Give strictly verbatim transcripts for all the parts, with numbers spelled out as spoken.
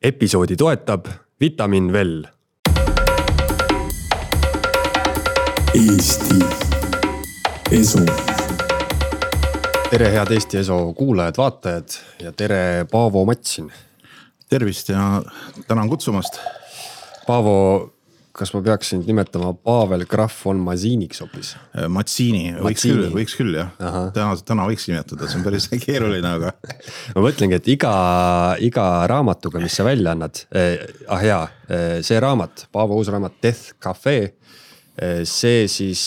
Episoodi toetab Vitamin Well. Eesti Eso. Tere head Eesti Eso kuulajad, vaatajad ja tere Paavo Matsin. Tervist ja tänan kutsumast. Paavo, kas ma peaksin nimetama Pavel Graf on Masiiniks hoopis? Matsiini, võiks küll, võiks küll jah. Täna, täna võiks nimetada, see on päris keeruline, aga... Ma mõtlengi, et iga, iga raamatuga, mis sa välja annad, eh, ah jaa, see raamat, Paavo uus raamat Death Cafe, see siis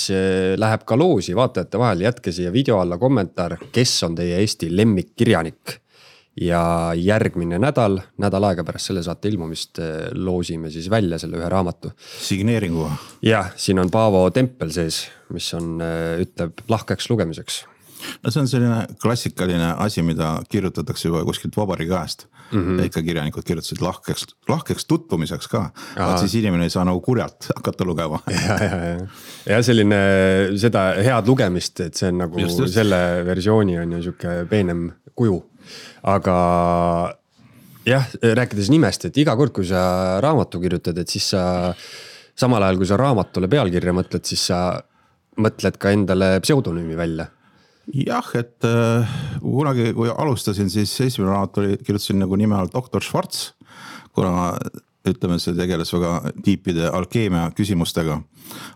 läheb ka loosi vaatajate vahel. Jätke siia video alla kommentaar, kes on teie Eesti lemmikkirjanik. Ja järgmine nädal, nädal aega pärast selle saate ilmumist loosime siis välja selle ühe raamatu. Signeeringu. Jah, siin on Paavo tempel sees, mis on, ütleb lahkeks lugemiseks. No see on selline klassikaline asi, mida kirjutatakse juba kuskilt vabariigi ajast. Mm-hmm. Ja ikka kirjanikud kirjutasid lahkeks, lahkeks tutvumiseks ka. Vaat siis inimene ei saa nagu kurjalt hakata lugema. Ja, ja, ja. ja selline seda head lugemist, et see on nagu just, just. Selle versiooni on ju siuke peenem kuju. Aga jah, rääkides nimest, et iga kord, kui sa raamatu kirjutad, et siis sa samal ajal, kui sa raamatule pealkirja mõtled, siis sa mõtled ka endale pseudonüümi välja. Jah, et äh, kunagi, kui alustasin, siis esimene raamat oli, kirjutasin nagu nime all doktor Schwarz, kuna ütleme, see tegeles väga tiipide alkeemia küsimustega,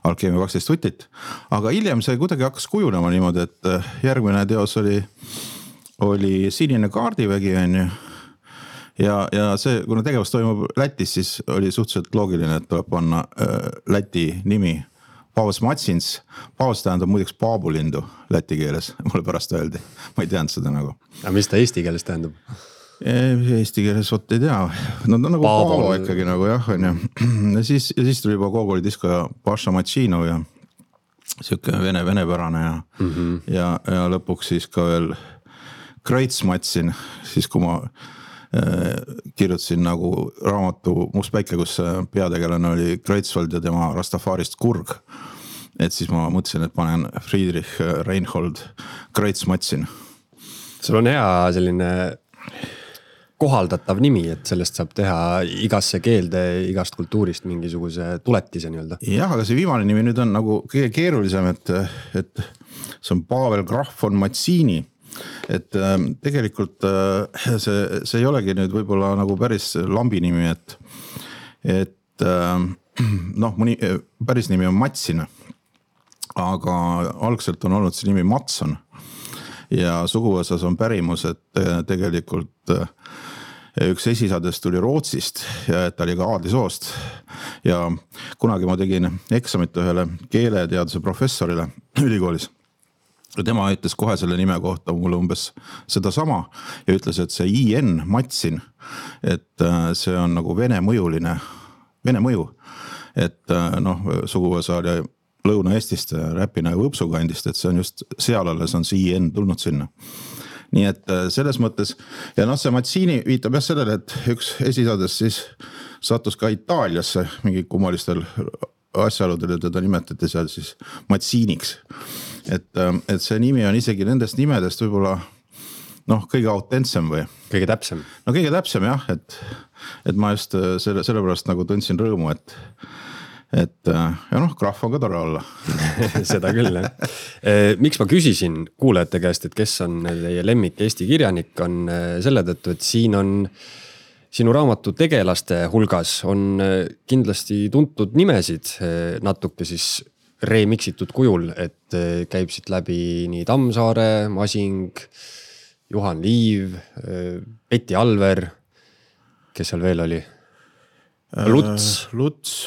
alkeemia kaksteist võtit. Aga hiljem see kuidagi hakkas kujunema niimoodi, et järgmine teos oli oli Sinine kaardivägi on ju. Ja, ja see, kuna tegevus toimub Lätis, siis oli suhteliselt loogiline, et tuleb panna äh, Läti nimi Paavos Matsins. Paavos tähendab muideks paabulindu läti keeles, mulle pärast öeldi. Ma ei teadnud seda nagu. Aga mis ta eesti keeles tähendab? Eesti keeles oot ei tea. No ta nagu Paavo, Paavo ikkagi nagu jah. On ju. Ja, siis, ja siis tuli juba Gogoli disko ja Paša Matšinov ja siuke vene, venepärane ja, mm-hmm. ja, ja lõpuks siis ka veel Kreits Matsin, siis kui ma äh, kirjutasin nagu raamatu Must päike, kus peategelane oli Kreitsvald ja tema Rastafarist Kurg. Et siis ma mõtlesin, et panen Friedrich Reinhold Kreits Matsin. Sul on hea selline kohaldatav nimi, et sellest saab teha igasse keelde, igast kultuurist mingisuguse tuletise nii-öelda. Jah, aga see viimane nimi nüüd on nagu kõige keerulisem, et, et see on Pavel Graf on Matsiini. Et äh, tegelikult äh, see, see ei olegi nüüd võib-olla nagu päris lambi nimi, et, et äh, noh, mõni päris nimi on Matsin, aga algselt on olnud see nimi Matson ja suguvõsas on pärimus, et tegelikult äh, üks esisadest tuli Rootsist ja et ta oli ka aadlisoost ja kunagi ma tegin eksamit ühele keeleteaduse professorile ülikoolis. Ja tema ütles kohe selle nime kohta mulle umbes seda sama ja ütles, et see I N Matsin, et see on nagu vene mõjuline, vene mõju, et noh, suguvõsa oli Lõuna-Eestist, Räpina ja Võpsu kandist, et see on just seal alles on see I N tulnud sinna. Nii et selles mõttes, ja noh, see Matsiini viitab jah sellele, et üks esisadest siis sattus ka Itaaliasse mingi kummalistel asjaoludel, teda nimetati seal siis Matsiiniks. Et, et see nimi on isegi nendest nimedest võib-olla noh, kõige autentsem või? Kõige täpsem. No kõige täpsem jah, et, et ma just selle, selle pärast nagu tundsin rõõmu, et, et ja noh, Graf on ka tore olla. Seda küll jah. Miks ma küsisin kuulajate käest, et kes on teie lemmik Eesti kirjanik, on selle tõttu, et siin on sinu raamatu tegelaste hulgas on kindlasti tuntud nimesid natuke siis remixitud kujul, et käib siit läbi nii Tammsaare, Masing, Juhan Liiv, Peti Alver, kes seal veel oli? Luts. Äh, Luts.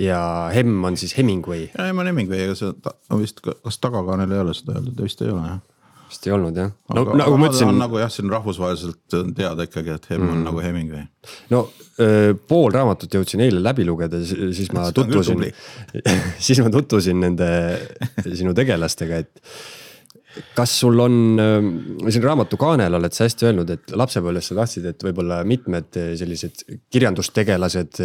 Ja Hemm on siis Hemingway. Ja Hemm on Hemingway, aga see on vist, kas tagakaanel ei ole seda öeldud, vist ei ole jah. Vist ei olnud jah. No, aga, nagu mõtlesin, on nagu jah, siin rahvusvaheliselt teada ikkagi, et Hemm on mm. nagu Hemingway. No öö, pool raamatut jõudsin eile läbi lugeda, siis ma tutvusin, siis ma tutvusin nende sinu tegelastega, et kas sul on, siin raamatu kaanel oled sa hästi öelnud, et lapsepõlves sa tahtsid, et võib-olla mitmed sellised kirjandustegelased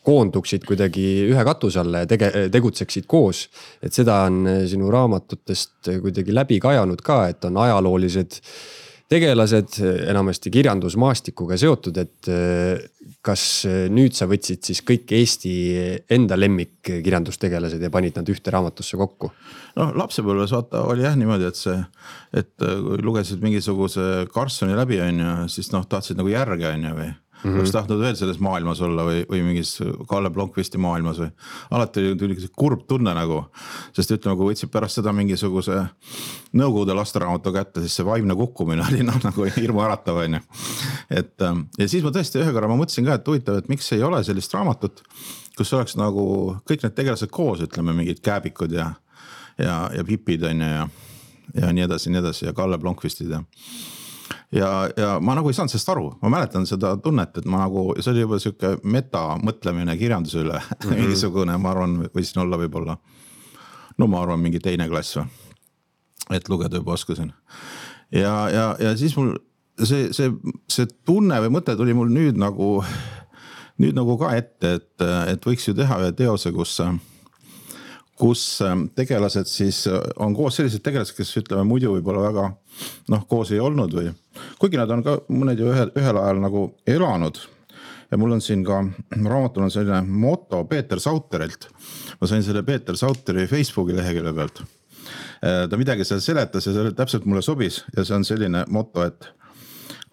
koonduksid kuidagi ühe katuse alla ja tege, tegutseksid koos. Et seda on sinu raamatutest kuidagi läbi kajanud ka, et on ajaloolised tegelased enamasti kirjandusmaastikuga seotud, et kas nüüd sa võtsid siis kõik Eesti enda lemmik kirjandustegelased ja panid nad ühte raamatusse kokku? No lapsepõlves vaata oli jah niimoodi, et see, et kui lugesid mingisuguse Karlssoni läbi on ja siis noh, tahtsid nagu järge on ja või mm-hmm. oleks tahtnud veel selles maailmas olla või, või mingis Kalle Blomqvisti maailmas või alati tuli kurb tunne nagu, sest ütleme, kui võtsid pärast seda mingisuguse Nõukogude lasteraamatu kätte, siis see vaimne kukkumine oli noh, nagu hirmu äratav on ju. Et ja siis ma tõesti ühe korra ma mõtlesin ka, et huvitav, et miks ei ole sellist raamatut, kus oleks nagu kõik need tegelased koos, ütleme mingid Kääbikud ja, ja, ja Pipid on ja, ja nii edasi, nii edasi ja Kalle Blomqvistid ja Ja, ja ma nagu ei saanud sellest aru, ma mäletan seda tunnet, et ma nagu, see oli juba siuke meta mõtlemine kirjanduse üle mm-hmm. mingisugune, ma arvan, võisin olla võib-olla, no ma arvan, mingi teine klass või, et lugeda juba oskasin. Ja, ja, ja siis mul see, see, see tunne või mõte tuli mul nüüd nagu, nüüd nagu ka ette, et, et võiks ju teha ühe teose, kus kus tegelased siis on koos sellised tegelased, kes ütleme muidu võib-olla väga noh, koos ei olnud või kuigi nad on ka mõned ju ühel, ühel ajal nagu elanud ja mul on siin ka raamatul on selline moto Peeter Sauterilt. Ma sain selle Peeter Sauteri Facebooki lehekülje pealt. Ta midagi seal seletas ja see täpselt mulle sobis ja see on selline moto, et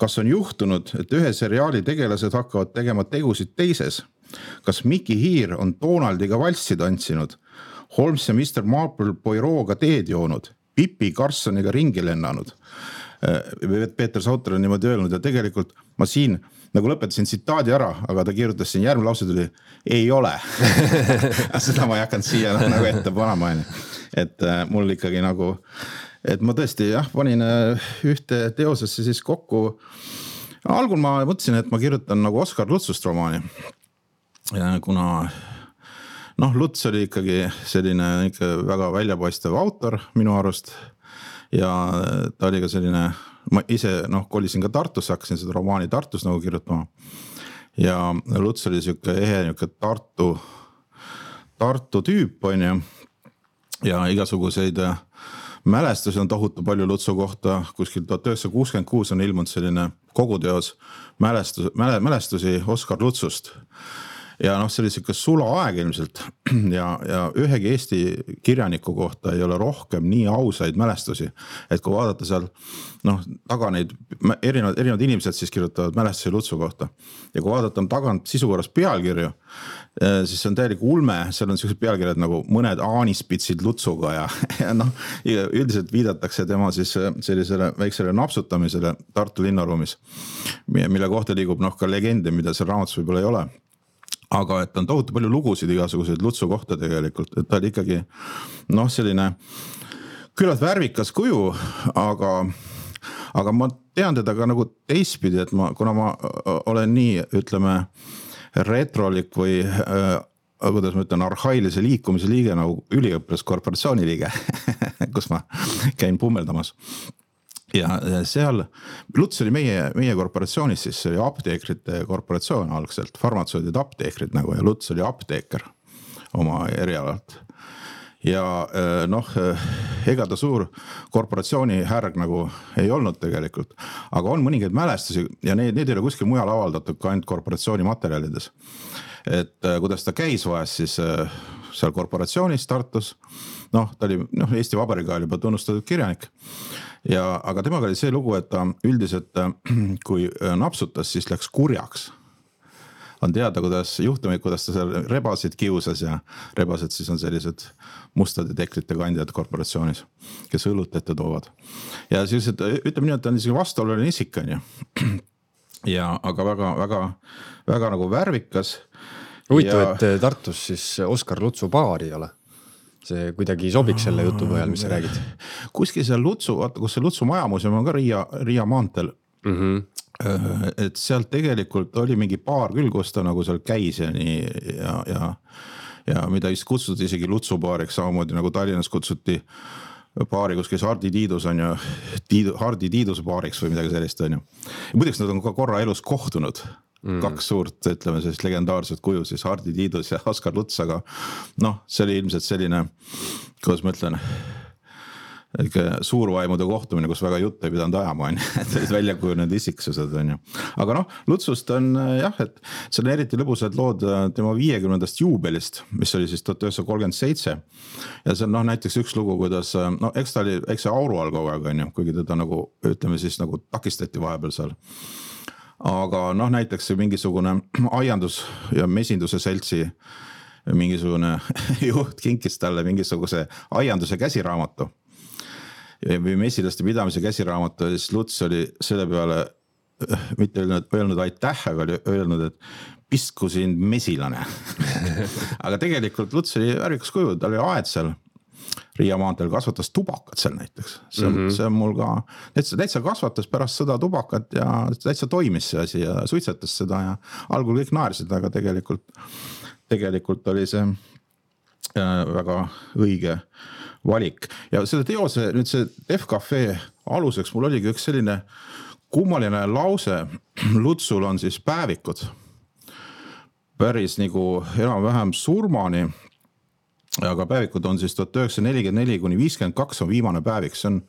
kas on juhtunud, et ühe seriaali tegelased hakkavad tegema tegusid teises? Kas Miki Hiir on Donaldiga valssi tantsinud? Holmes ja mister Marple Poirot'ga teed joonud, Pippi Karlssoniga ringi lennanud. Peeter Sauter on niimoodi öelnud ja tegelikult ma siin nagu lõpetasin tsitaadi ära, aga ta kirjutas siin järgmine lause tuli, ei ole. Seda ma ei hakanud siia nagu ette panema. Et mul ikkagi nagu, et ma tõesti jah, panin ühte teosesse siis kokku. Algul ma mõtlesin, et ma kirjutan nagu Oskar Lutsust romaani, kuna noh, Luts oli ikkagi selline ikka väga väljapaistev autor minu arust ja ta oli ka selline, ma ise noh, kolisin ka Tartus, hakkasin seda romaani Tartus nagu kirjutama ja Luts oli siuke ehe niuke Tartu, Tartu tüüp on ju ja igasuguseid mälestusi on tohutu palju Lutsu kohta, kuskil tuhat üheksasada kuuskümmend kuus on ilmunud selline koguteos mälestus, mälestusi Oskar Lutsust. Ja noh, see oli siuke sula aeg ilmselt ja, ja ühegi Eesti kirjaniku kohta ei ole rohkem nii ausaid mälestusi, et kui vaadata seal noh, taga neid erinevad, erinevad inimesed siis kirjutavad mälestusi Lutsu kohta ja kui vaadata tagant sisukorras pealkirju, siis see on täielik ulme, seal on sellised pealkirjad nagu mõned aanispitsid Lutsuga ja, ja noh, üldiselt viidatakse tema siis sellisele väiksele napsutamisele Tartu linnaruumis, mille kohta liigub noh ka legende, mida seal raamatus võib-olla ei ole. Aga et on tohutu palju lugusid igasuguseid Lutsu kohta tegelikult, et ta oli ikkagi noh, selline küllalt värvikas kuju, aga, aga ma tean teda ka nagu teistpidi, et ma, kuna ma olen nii, ütleme, retrolik või äh, kuidas ma ütlen, arhailise liikumise liige nagu üliõpilaskorporatsiooni liige, kus ma käin pummeldamas. Ja seal, Luts oli meie, meie korporatsioonis, siis see oli apteekrite korporatsioon algselt, farmatsoodid apteekrid nagu ja Luts oli apteeker oma erialalt. Ja noh, ega ta suur korporatsiooni härg nagu ei olnud tegelikult, aga on mõningaid mälestusi ja need, need ei ole kuskil mujal avaldatud ka ainult korporatsiooni materjalides. Et kuidas ta käis vahest siis seal korporatsioonis Tartus, noh, ta oli noh, Eesti Vabariigi ajal juba tunnustatud kirjanik. Ja, aga temaga oli see lugu, et ta üldiselt, kui napsutas, siis läks kurjaks. On teada, kuidas juhtumid, kuidas ta seal rebasid kiusas ja rebased siis on sellised mustade teklite kandjad korporatsioonis, kes õlut ette toovad. Ja siis, et ütleme nii, et ta on niisugune vastuoluline isik on ju. Ja, aga väga, väga, väga nagu värvikas. Huvitav, ja... et Tartus siis Oskar Lutsu baari ei ole. See kuidagi sobiks selle jutu põhjal, mis sa räägid. Kuskil seal Lutsu, vaata, kus see Lutsu majamuuseum on ka Riia, Riia maantel. Mm-hmm. Et sealt tegelikult oli mingi baar küll, kus ta nagu seal käis ja nii ja, ja, ja mida vist kutsuti isegi Lutsu baariks, samamoodi nagu Tallinnas kutsuti baari, kus käis Hardi Tiidus on ju, Tiidu, Hardi Tiiduse baariks või midagi sellist on ju. Ja muideks nad on ka korra elus kohtunud. Mm. Kaks suurt, ütleme, sellist legendaarset kuju, siis Hardi Tiidus ja Oskar Luts, aga noh, see oli ilmselt selline, kuidas ma ütlen, suurvaimude kohtumine, kus väga jutt ei pidanud ajama, et olid välja kujunenud isiksused. Aga noh, Lutsust on jah, et see on eriti lõbusad lood tema viiekümnendast juubelist, mis oli siis tuhat üheksasada kolmkümmend seitse. Ja see on noh, näiteks üks lugu, kuidas, no eks ta oli, eks see auru all kogu aeg, kuigi teda nagu, ütleme siis nagu takistati vahepeal seal. Aga noh, näiteks mingisugune aiandus ja mesinduse seltsi mingisugune juht kinkis talle mingisuguse aianduse käsiraamatu või mesilaste pidamise käsiraamatu ja siis Luts oli selle peale mitte öelnud, öelnud aitäh, aga oli öelnud, et pistku sind mesilane. Aga tegelikult Luts oli värvikas kuju, ta oli aed seal Riia maanteel, kasvatas tubakat seal näiteks. See on, mm-hmm. see on mul ka, täitsa, täitsa kasvatas pärast sõda tubakat ja täitsa toimis see asi ja suitsetas seda ja algul kõik naersid, aga tegelikult, tegelikult oli see väga õige valik. Ja selle teose, nüüd see Def Cafe aluseks, mul oligi üks selline kummaline lause. Lutsul on siis päevikud päris nagu enam-vähem surmani, aga päevikud on siis tuhat üheksasada nelikümmend neli kuni viiskümmend kaks on viimane päevik. See on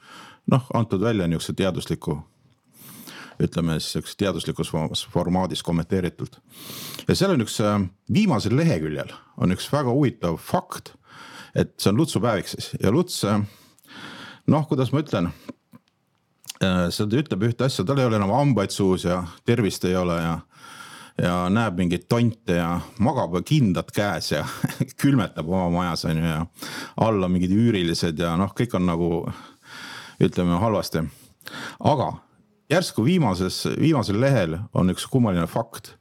noh, antud välja niisuguse teadusliku, ütleme siis teaduslikus formaadis kommenteeritult. Ja seal on üks viimasel leheküljel on üks väga huvitav fakt, et see on Lutsu päevik siis ja Luts, noh, kuidas ma ütlen, seda ütleb ühte asja, tal ei ole enam hambaid suus ja tervist ei ole ja, ja näeb mingeid tonte ja magab kindad käes ja külmetab oma majas on ju, ja alla mingid üürilised ja noh, kõik on nagu, ütleme, halvasti. Aga järsku viimases, viimasel lehel on üks kummaline fakt,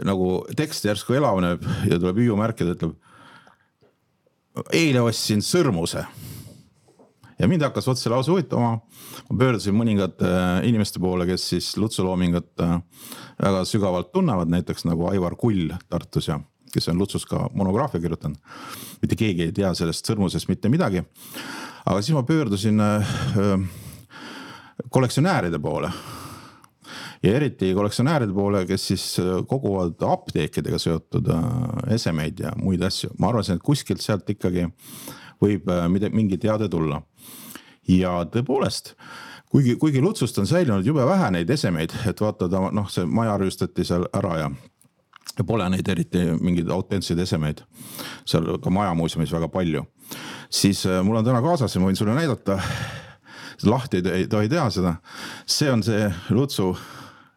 nagu tekst järsku elavneb ja tuleb hüüumärkida, ütleb eile ostsin sõrmuse ja mind hakkas otse lause huvitama. Ma pöördusin mõningad inimeste poole, kes siis Lutsu loomingat väga sügavalt tunnevad, näiteks nagu Aivar Kull Tartus ja kes on Lutsus ka monograafia kirjutanud. Mitte keegi ei tea sellest sõrmusest mitte midagi. Aga siis ma pöördusin kollektsionääride poole. Ja eriti kollektsionääride poole, kes siis koguvad apteekidega seotud esemeid ja muid asju. Ma arvasin, et kuskilt sealt ikkagi võib mingi teade tulla. Ja tõepoolest, kuigi, kuigi Lutsust on säilinud jube vähe neid esemeid, et vaata, noh, see maja rüüstati seal ära ja, ja pole neid eriti mingeid autentseid esemeid. Seal ka maja muuseumis väga palju. Siis mul on täna kaasas ja ma võin sulle näidata, lahti ei tohi teha seda. See on see Lutsu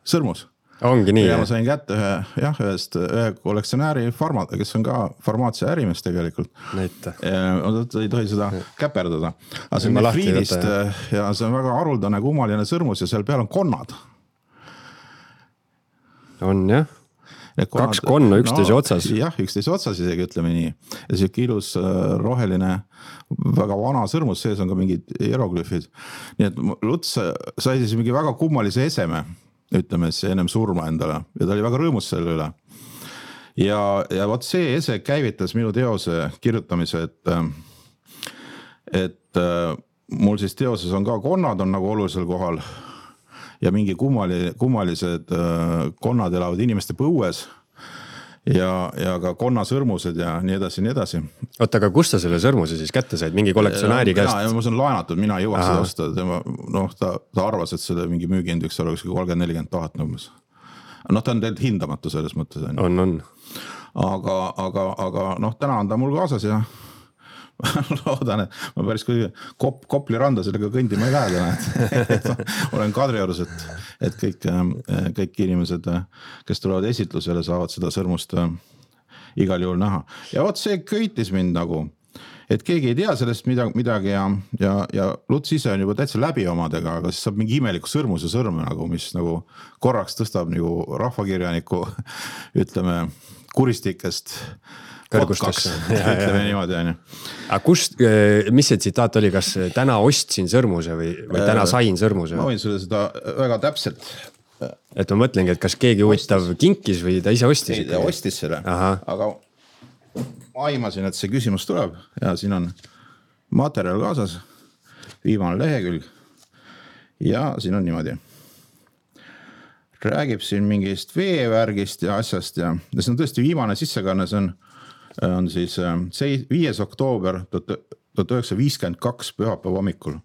sõrmus. Ongi nii. Ja ma sain kätte ühe, jah, ühest ühe kollektsionääri farma, kes on ka farmaatsia ärimees tegelikult. Näite. Ei tohi seda käperdada. Aga see on Friidist ja see on väga haruldane kummaline sõrmus ja seal peal on konnad. On jah. Kaks konna üksteise no, otsas. Jah, üksteise otsas isegi ütleme nii. Ja see ilus roheline, väga vana sõrmus, sees on ka mingid hieroglüfid. Nii et Luts sai siis mingi väga kummalise eseme, ütleme siis ennem surma endale. Ja ta oli väga rõõmus selle üle. Ja, ja võt see ese käivitas minu teose kirjutamise, et, et mul siis teoses on ka konnad on nagu olulisel kohal. Ja mingi kummali, kummalised konnad elavad inimeste põues ja, ja ka konnasõrmused ja nii edasi, nii edasi. Oota, aga kus sa selle sõrmuse siis kätte said? Mingi kollektsionääri käest? Ja, ma saan laenatud, mina ei jõuaks seda osta. Tema, noh, ta, ta arvas, et selle mingi müügihind võiks olla kolmkümmend nelikümmend tuhat nõumes. Noh, ta on tegelikult hindamatu selles mõttes. On, on. Aga, aga, aga noh, täna on ta mul kaasas ja loodan, et ma päris kui kop, Kopli randa sellega kõndima ei lähe. Olen Kadriorus, et, et kõik, kõik inimesed, kes tulevad esitlusele, saavad seda sõrmust igal juhul näha. Ja oot, see köitis mind nagu, et keegi ei tea sellest midagi ja, ja, ja Luts ise on juba täitsa läbi omadega, aga siis saab mingi imeliku sõrmuse sõrme, nagu, mis nagu korraks tõstab nagu rahvakirjaniku, ütleme, kuristikest kõrgustaks. Ütleme niimoodi, on ju. Aga kust, mis see tsitaat oli, kas täna ostsin sõrmuse või, või täna sain sõrmuse? Ma võin sulle seda väga täpselt. Et ma mõtlengi, et kas keegi huvitav kinkis või ta ise ostis? Ei, ta ostis selle, Aha. aga ma aimasin, et see küsimus tuleb ja siin on materjal kaasas, viimane lehekülg ja siin on niimoodi. Räägib siin mingist veevärgist ja asjast ja, ja see on tõesti viimane sissekanne, see on on siis viies oktoober tuhat üheksasada viiskümmend kaks pühapäeva hommikul.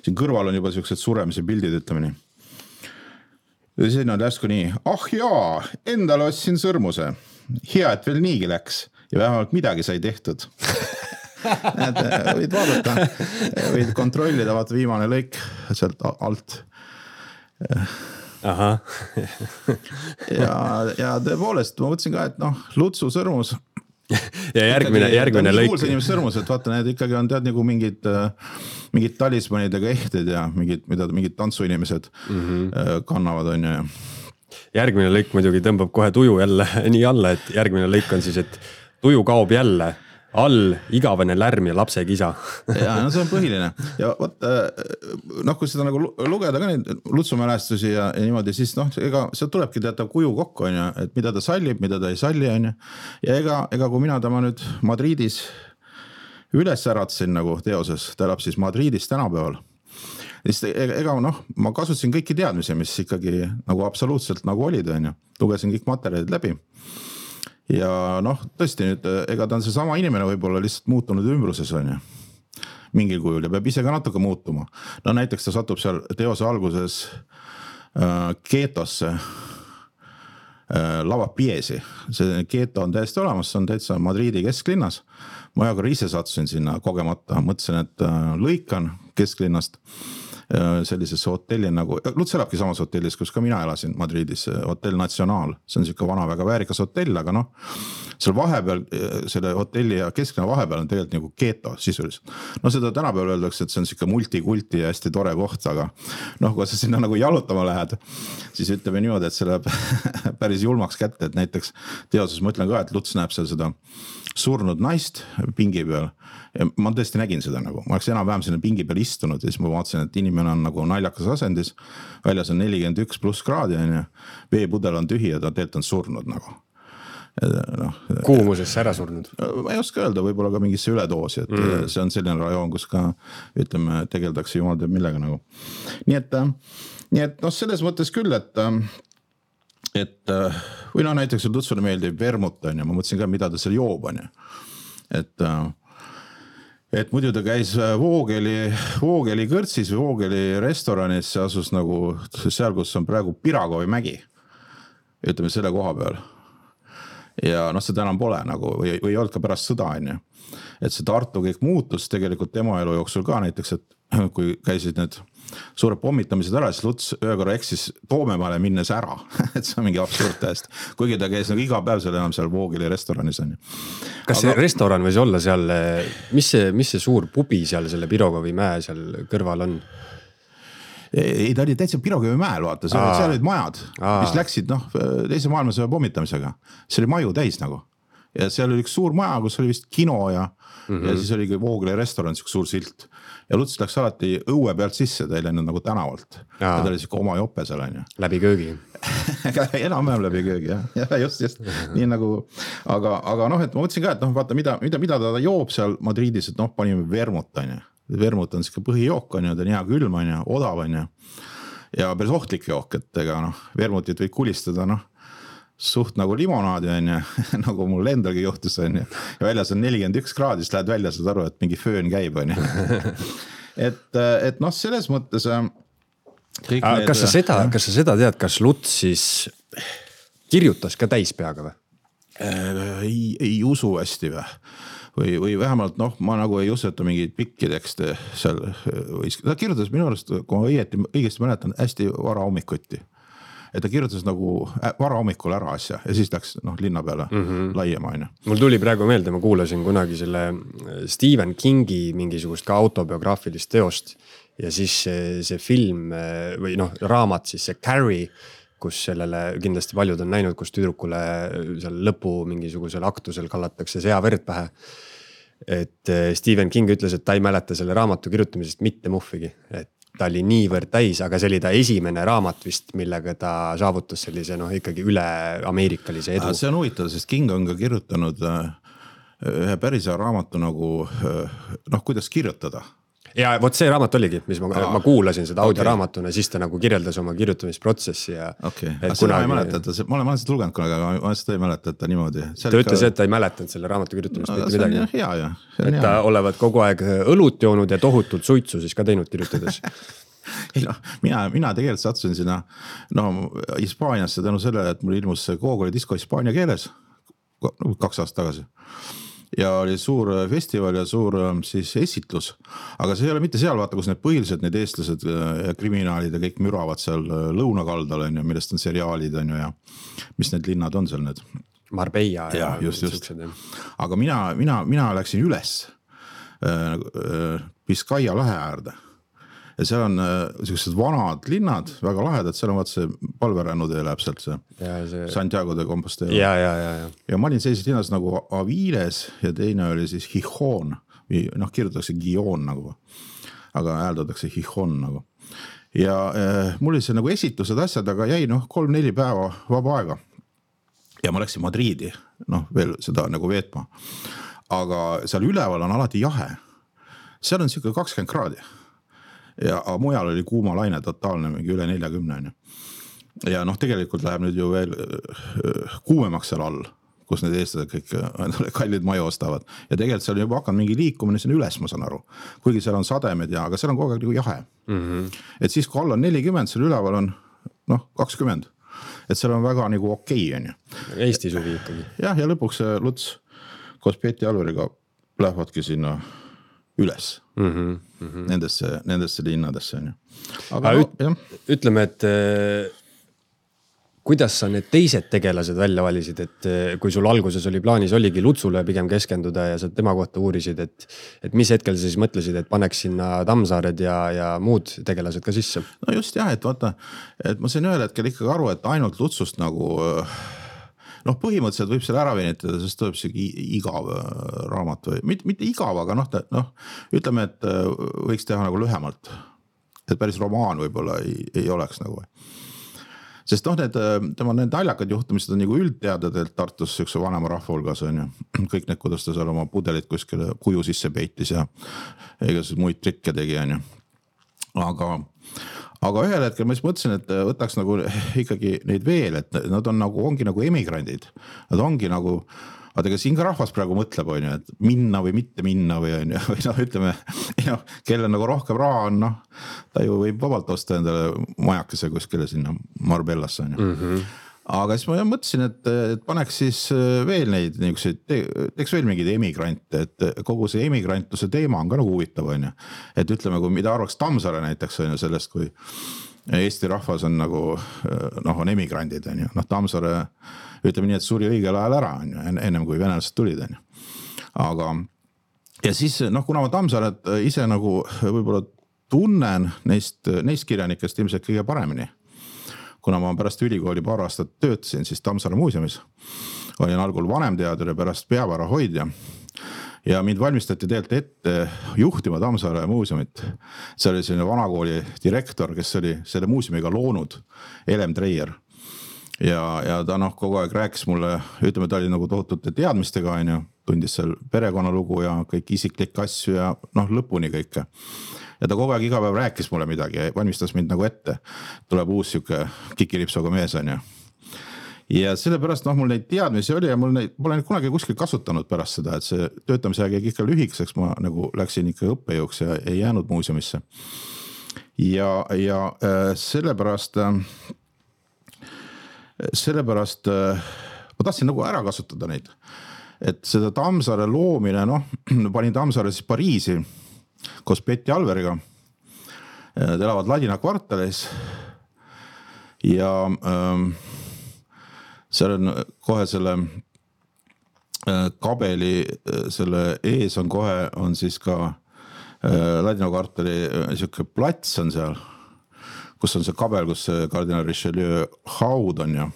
Siin kõrval on juba siuksed suremise pildid, ütleme nii. Ja siin on järsku nii, ah jaa, endale ostsin sõrmuse. Hea, et veel niigi läks ja vähemalt midagi sai tehtud. Näed, võid vaadata, võid kontrollida, vaata viimane lõik sealt alt. Aha. ja, ja tõepoolest, ma mõtlesin ka, et noh, Lutsu sõrmus. Ja järgmine, järgmine lõik. Kuulsa inimese sõrmus, et vaata, need ikkagi on tead nagu mingid, mingid talismanidega ehted ja mingid, mida, mingid tantsuinimesed mm-hmm. kannavad on ja. Järgmine lõik muidugi tõmbab kohe tuju jälle nii alla, et järgmine lõik on siis, et tuju kaob jälle. All igavene lärm ja lapse kisa. ja no see on põhiline. Ja võt, noh, kui seda nagu lugeda ka neid Lutsu mälestusi ja, ja niimoodi, siis noh, ega see tulebki teatav kuju kokku, on ja, et mida ta sallib, mida ta ei salli, on ja. Ja ega, ega kui mina tema nüüd Madridis üles äratsin nagu teoses, ta elab siis Madridis tänapäeval. Siis ega noh, ma kasutasin kõiki teadmisi, mis ikkagi nagu absoluutselt nagu olid, on ja. Lugesin kõik materjalid läbi. Ja noh, tõesti nüüd, ega ta on see sama inimene võib-olla lihtsalt muutunud ümbruses on ja mingil kujul ja peab ise ka natuke muutuma. No näiteks ta satub seal teose alguses äh, keetosse äh, lava piesi. See keeto on täiesti olemas, see on täitsa Madridi kesklinnas. Ma aga ise sattusin sinna kogemata, mõtlesin, et äh, lõikan kesklinnast sellisesse hotelli nagu, Luts elabki samas hotellis, kus ka mina elasin Madridis, Hotel Nacional, see on siuke vana väga väärikas hotell, aga noh, seal vahepeal, selle hotelli ja kesklinna vahepeal on tegelikult nagu keeto sisuliselt. No seda tänapäeval öeldakse, et see on siuke multikulti ja hästi tore koht, aga noh, kui sa sinna nagu jalutama lähed, siis ütleme niimoodi, et see läheb päris julmaks kätte, et näiteks teoses ma ütlen ka, et Luts näeb seal seda surnud naist pingi peal ja ma tõesti nägin seda nagu, ma oleks enam vähem sinna pingi peal istunud ja siis ma vaatasin, et inimene on nagu naljakas asendis, väljas on nelikümmend üks pluss kraadi ja veepudel on tühi ja ta tegelikult on surnud nagu. No, kuumusesse ära surnud? Ma ei oska öelda, võib-olla ka mingisse üledoosi, et mm. see on selline rajoon, kus ka ütleme, tegeldakse jumal teab millega nagu. Nii et, nii et noh, selles mõttes küll, et et või no näiteks Lutsule meeldib vermut on ja ma mõtlesin ka, mida ta seal joob on ja. Et, et muidu ta käis Voogeli, Voogeli kõrtsis või Voogeli restoranis, see asus nagu seal, kus on praegu Piragovi mägi, ütleme selle koha peal. Ja noh, seda enam pole nagu või, või ei olnud ka pärast sõda on ja. Et see Tartu kõik muutus tegelikult tema elu jooksul ka näiteks, et kui käisid need suured pommitamised ära, siis Luts ühe korra eksis Toomemaale minnes ära, et see on mingi absurd tähest, kuigi ta käis nagu iga päev seal enam seal Voogeli restoranis on. Kas see Aga... restoran võis olla seal, mis see, mis see suur pubi seal selle Pirogovi mäe seal kõrval on? Ei, ta oli täitsa Pirogovi mäel, vaata, seal, seal olid majad, Aa. mis läksid noh, teise maailmasõja pommitamisega. See oli maju täis nagu. Ja seal oli üks suur maja, kus oli vist kino ja, mm-hmm. ja siis oli Voogeli restoran, üks suur silt. Ja Luts läks alati õue pealt sisse, ta ei läinud nagu tänavalt. Aa. Ja ta oli siuke oma jope seal on ju. Läbi köögi. Enam-vähem läbi köögi, jah. Ja just, just. Nii nagu, aga, aga noh, et ma mõtlesin ka, et noh, vaata, mida, mida, mida ta joob seal Madridis, et noh, panime vermut on ju. Vermut on siuke põhijook on ju, ta on hea külm on ju, odav on ju. Ja päris ohtlik jook, et ega noh, vermutit võid kulistada noh, suht nagu limonaadi on ju, nagu mul endalgi juhtus on ju. Ja väljas on nelikümmend üks kraadi, siis lähed välja, saad aru, et mingi föön käib on ju. et, et noh, selles mõttes kõik need... Kas sa seda, kas sa seda tead, kas Luts siis kirjutas ka täispeaga või? Ei, ei usu hästi või? Või, või vähemalt noh, ma nagu ei usu, et ta mingeid pikki tekste seal võis. Ta kirjutas minu arust, kui ma õieti, õigesti mäletan, hästi vara hommikuti. Et ta kirjutas nagu vara hommikul ära asja ja siis läks noh, linna peale mm-hmm. laiema aina. Mul tuli praegu meelde, ma kuulasin kunagi selle Stephen Kingi mingisugust ka autobiograafilist teost ja siis see, see film või noh, raamat siis see Carrie, kus sellele kindlasti paljud on näinud, kus tüdrukule seal lõpu mingisugusel aktusel kallatakse seaverd pähe. Et Stephen King ütles, et ta ei mäleta selle raamatu kirjutamisest mitte muhvigi, et ta oli niivõrd täis, aga see oli ta esimene raamat vist, millega ta saavutas sellise noh, ikkagi üle ameerikalise edu. See on huvitav, sest King on ka kirjutanud ühe päris raamatu nagu noh, kuidas kirjutada. ja vot see raamat oligi, mis ma, ma kuulasin seda audioraamatuna, okay. Siis ta nagu kirjeldas oma kirjutamisprotsessi ja okay. Aga seda kunagi... ma ei mäleta, et ta, ma olen seda lugenud kunagi, aga ma seda ei mäleta, et ta niimoodi. Ta ütles, ka... et ta ei mäletanud selle raamatu kirjutamist no, mitte midagi. Hea, ja. Et ta olevat kogu aeg õlut joonud ja tohutult suitsu siis ka teinud kirjutades. ei noh, mina, mina tegelikult sattusin sinna no, Hispaaniasse tänu sellele, et mul ilmus Koogoli disko hispaania keeles kaks aastat tagasi. Ja oli suur festival ja suur siis esitlus, aga see ei ole mitte seal, vaata, kus need põhilised need eestlased ja kriminaalid ja kõik müravad seal lõunakaldal, on ju, millest on seriaalid, on ju, ja mis need linnad on seal need? Marbella ja, ja just, just. Aga mina, mina, mina läksin üles Biskaia lahe äärde. Ja seal on sellised vanad linnad, väga lahedad, seal on vaat see palverännutee läheb sealt see, see... Santiago de Compostela. Ja, ja, ja, ja. ja ma olin sellises linnas nagu Aviles ja teine oli siis Gijón, noh kirjutatakse Gijón nagu, aga hääldatakse Gijón nagu. Ja eh, mul oli see nagu esitused asjad, aga jäi noh kolm-neli päeva vaba aega. Ja ma läksin Madriidi, noh veel seda nagu veetma. Aga seal üleval on alati jahe. Seal on siuke kakskümmend kraadi. Ja mujal oli kuumalaine totaalne, mingi üle neljakümne. Ja noh, tegelikult läheb nüüd ju veel kuumemaks seal all, kus need eestlased kõik kallid maju ostavad. Ja tegelikult seal on juba hakanud mingi liikumine sinna üles, ma saan aru. Kuigi seal on sademed ja, aga seal on kogu aeg nagu jahe. Mm-hmm. Et siis kui all on nelikümmend, seal üleval on noh, kakskümmend. Et seal on väga nagu okei, on ju. Eesti suvi ikkagi. Jah, ja lõpuks Luts koos Peeti Alveriga lähevadki sinna üles mm-hmm, mm-hmm. Nendesse, nendesse linnadesse on ju. Aga no, üt, ütleme, et äh, kuidas sa need teised tegelased välja valisid, et äh, kui sul alguses oli plaanis, oligi Lutsule pigem keskenduda ja sa tema kohta uurisid, et, et mis hetkel sa siis mõtlesid, et paneks sinna Tammsaared ja, ja muud tegelased ka sisse? No just jah, et vaata, et ma sain ühel hetkel ikkagi aru, et ainult Lutsust nagu noh, põhimõtteliselt võib selle ära venitada, sest tuleb see igav raamat või mitte, mitte igav, aga noh, noh, ütleme, et võiks teha nagu lühemalt. Et päris romaan võib-olla ei, ei oleks nagu. Sest noh, need, tema need naljakad juhtumised on nagu üldteadadelt Tartus siukse vanema rahva hulgas on ju. Kõik need, kuidas ta seal oma pudelit kuskile kuju sisse peitis ja igasugused muid trikke tegi on ju. Aga Aga ühel hetkel ma siis mõtlesin, et võtaks nagu ikkagi neid veel, et nad on nagu, ongi nagu emigrandid. Nad ongi nagu, aga ega siin ka rahvas praegu mõtleb, on ju, et minna või mitte minna või on ju, või noh, ütleme, ja, kelle nagu rohkem raha on, noh, ta ju võib vabalt osta endale majakese kuskile sinna Marbellasse, on ju. Mm-hmm. Aga siis ma mõtlesin, et, et paneks siis veel neid niisuguseid, teeks veel mingeid emigrante, et kogu see emigrantluse teema on ka nagu huvitav, on ju. Et ütleme, kui mida arvaks Tammsaare näiteks on ju sellest, kui Eesti rahvas on nagu, noh, on emigrandid, on ju. Noh, Tammsaare, ütleme nii, et suri õigel ajal ära, on ju, ennem kui venelased tulid, on ju. Aga, ja siis, noh, kuna ma Tammsaaret ise nagu võib-olla tunnen neist, neist kirjanikest ilmselt kõige paremini, kuna ma pärast ülikooli paar aastat töötasin, siis Tammsaare muuseumis olin algul vanemteadur ja pärast peavara hoidja. Ja mind valmistati tegelikult ette juhtima Tammsaare muuseumit. See oli selline vanakooli direktor, kes oli selle muuseumiga loonud, Elem Treier. Ja, ja ta noh, kogu aeg rääkis mulle, ütleme, ta oli nagu tohutute teadmistega, on ju, tundis seal perekonnalugu ja kõik isiklik asju ja noh, lõpuni kõike. Ja ta kogu aeg iga päev rääkis mulle midagi ja valmistas mind nagu ette. Tuleb uus siuke kikilipsoga mees on ju. Ja sellepärast noh, mul neid teadmisi oli ja mul neid, ma olen kunagi kuskil kasutanud pärast seda, et see töötamise aeg ikka lühikeseks, ma nagu läksin ikka õppejõuks ja ei jäänud muuseumisse. Ja, ja sellepärast, sellepärast ma tahtsin nagu ära kasutada neid. Et seda Tammsaare loomine, noh, panin Tammsaare siis Pariisi, koos Peeti Alveriga. Nad elavad Ladina kvartalis ja ähm, seal on kohe selle äh, kabeli, selle ees on kohe, on siis ka äh, Ladina kvartali äh, siuke plats on seal, kus on see kabel, kus see kardinal Richelieu haud on ja.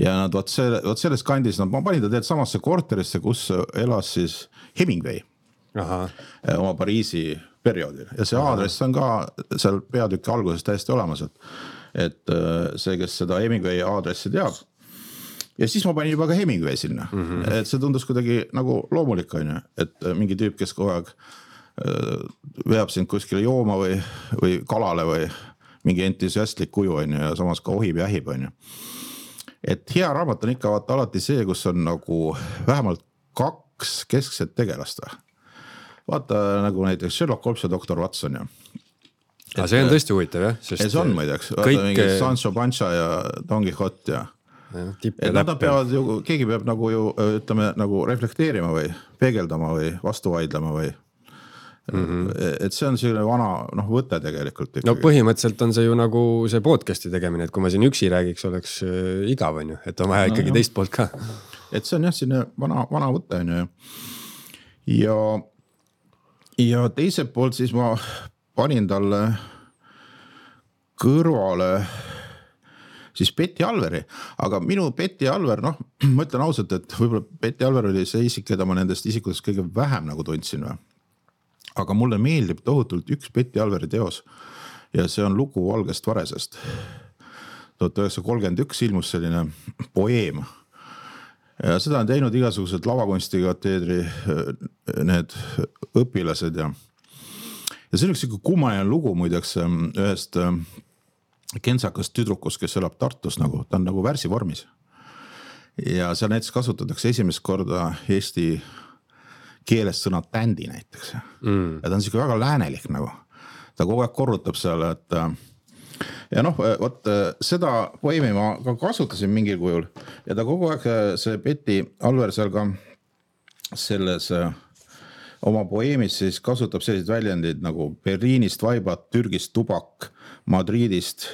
Ja nad võt, selle, võt selles kandis, nad, ma panin ta teed samasse korterisse, kus elas siis Hemingway. Aha. Oma Pariisi perioodil ja see aadress on ka seal peatükki alguses täiesti olemas, et, et see, kes seda Hemingway aadressi teab ja siis ma panin juba ka Hemingway sinna, mm-hmm. et see tundus kuidagi nagu loomulik on ju, et mingi tüüp, kes kogu aeg veab sind kuskile jooma või, või kalale või mingi entusiastlik kuju on ju ja samas ka ohib ja ähib on ju. Et hea raamat on ikka vaata alati see, kus on nagu vähemalt kaks keskset tegelast. Vaata nagu näiteks Sherlock Holmes ja doktor Watson ja. Et, see on tõesti huvitav jah. See on muideks, vaata kõik... mingi Sancho Pancha ja Don Quixote ja. ja et nad peavad ju, keegi peab nagu ju ütleme nagu reflekteerima või peegeldama või vastu vaidlema või mm-hmm. et see on selline vana noh, võte tegelikult. Ikkagi. No põhimõtteliselt on see ju nagu see podcasti tegemine, et kui ma siin üksi räägiks, oleks igav on ju, et on vaja ikkagi no, teist poolt ka. Et see on jah, selline vana, vana võte on ju ja ja teiselt poolt siis ma panin talle kõrvale siis Betty Alveri, aga minu Betty Alver, noh, ma ütlen ausalt, et võib-olla Betty Alver oli see isik, keda ma nendest isikutest kõige vähem nagu tundsin või. Aga mulle meeldib tohutult üks Betty Alveri teos ja see on lugu Valgest varesest. tuhat üheksasada kolmkümmend üks ilmus selline poeem. Ja seda on teinud igasugused lavakunstikateedri need õpilased ja ja see on üks kummaline lugu muideks ühest kentsakast tüdrukust, kes elab Tartus nagu, ta on nagu värsivormis ja seal näiteks kasutatakse esimest korda eesti keelest sõna tändi näiteks mm. ja ta on siuke väga läänelik nagu, ta kogu aeg korrutab seal, et ja noh, võt, seda poemi ma ka kasutasin mingil kujul ja ta kogu aeg, see Betty Alver seal ka selles oma poeemis siis kasutab sellised väljendid nagu Berliinist vaibad, Türgist tubak, Madridist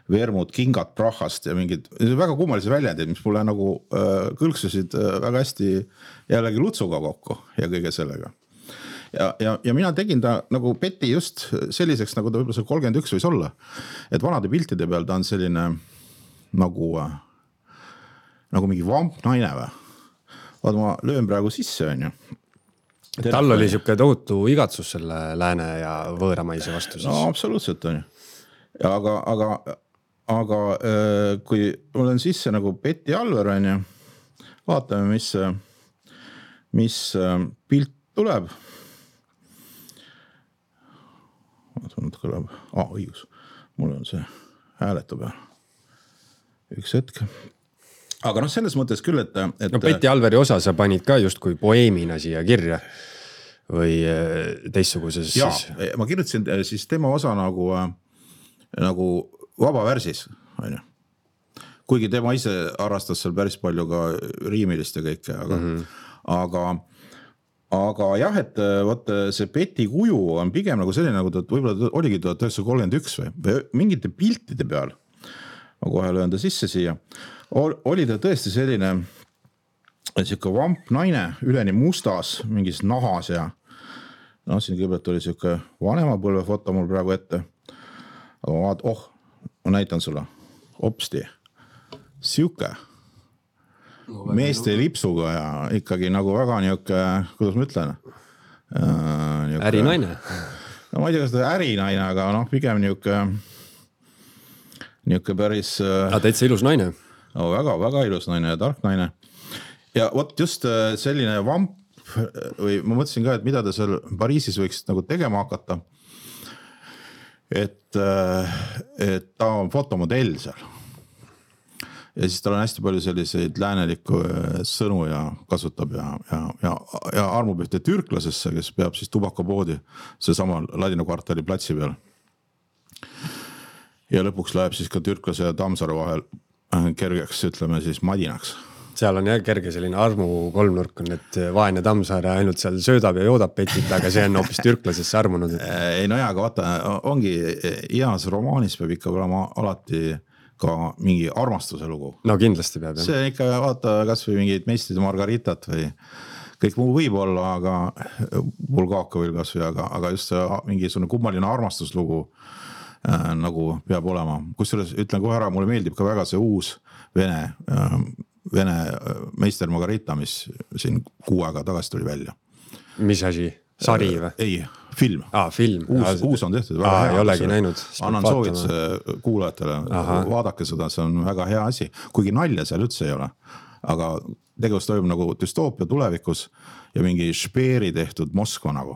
vermud, kingad Prahast ja mingid väga kummalisi väljendid, mis mulle nagu äh, kõlksusid äh, väga hästi jällegi Lutsuga kokku ja kõige sellega. Ja, ja, ja mina tegin ta nagu Betty just selliseks, nagu ta võib-olla see kolmkümmend üks võis olla. Et vanade piltide peal ta on selline nagu, nagu mingi vamp naine või. Vaata, ma löön praegu sisse, on ju. Tal oli siuke tohutu igatsus selle lääne ja võõramaise vastu siis. No absoluutselt on ju. Ja aga, aga, aga kui mul on sisse nagu Betty Alver, on ju, vaatame, mis, mis pilt tuleb. Kõlab. Ah, õigus. Mul on see hääletu peal. Üks hetk. Aga noh, selles mõttes küll, et... et no Betty Alveri osa sa panid ka just kui poeemina siia kirja või teistsuguses... Jaa, siis... ma kirjutasin siis tema osa nagu, nagu vabavärsis. Kuigi tema ise arvastas seal päris palju ka riimilist ja kõike, aga... Mm-hmm. aga Aga jah, et võt, see Betty kuju on pigem nagu selline, nagu ta võib-olla oligi tuhat üheksasada kolmkümmend üks või, või mingite piltide peal, ma kohe löön ta sisse siia, oli ta tõesti selline siuke vamp naine, üleni mustas, mingis nahas ja no siin kõigepealt oli siuke vanema põlve foto mul praegu ette, aga ma vaat, oh, ma näitan sulle, opsti, siuke meeste lipsuga ja ikkagi nagu väga niuke, kuidas ma ütlen? Niuke, ärinaine. No ma ei tea, kas ta ärinaine, aga noh, pigem niuke, niuke päris... Aga täitsa ilus naine. No väga, väga ilus naine ja tark naine. Ja võt just selline vamp, või ma mõtlesin ka, et mida ta seal Pariisis võiks nagu tegema hakata. Et, et ta on fotomodell seal. Ja siis tal on hästi palju selliseid läänelikku sõnu ja kasutab ja, ja, ja, ja armub ühte türklasesse, kes peab siis tubakapoodi see sama Ladina kvartali platsi peal. Ja lõpuks läheb siis ka türklase ja Tammsaare vahel kergeks, ütleme siis madinaks. Seal on jah kerge selline armu kolmnurk on, et vaene Tammsaare ainult seal söödab ja joodab Betit, aga see on hoopis türklasesse armunud. Et... Ei no jaa, aga vaata, ongi ias romaanis peab ikka olema alati ka mingi armastuse lugu. No kindlasti peab. See on ikka, vaata, kas või mingid meistrid Margaritat või kõik muu võib olla, aga Bulgakovil kas või, aga, aga just mingi kummaline armastuslugu äh, nagu peab olema. Kusjuures ütlen kohe ära, mulle meeldib ka väga see uus Vene, äh, Vene meister Margarita, mis siin kuu aega tagasi tuli välja. Mis asi? Sari või? Ei, film. Ah, film. Uus, uus on tehtud. Aa, ei olegi näinud. Annan soovituse kuulajatele. Aha. Vaadake seda, see on väga hea asi. Kuigi nalja seal üldse ei ole. Aga tegevus toimub nagu düstoopia tulevikus ja mingi Špeeri tehtud Moskva nagu.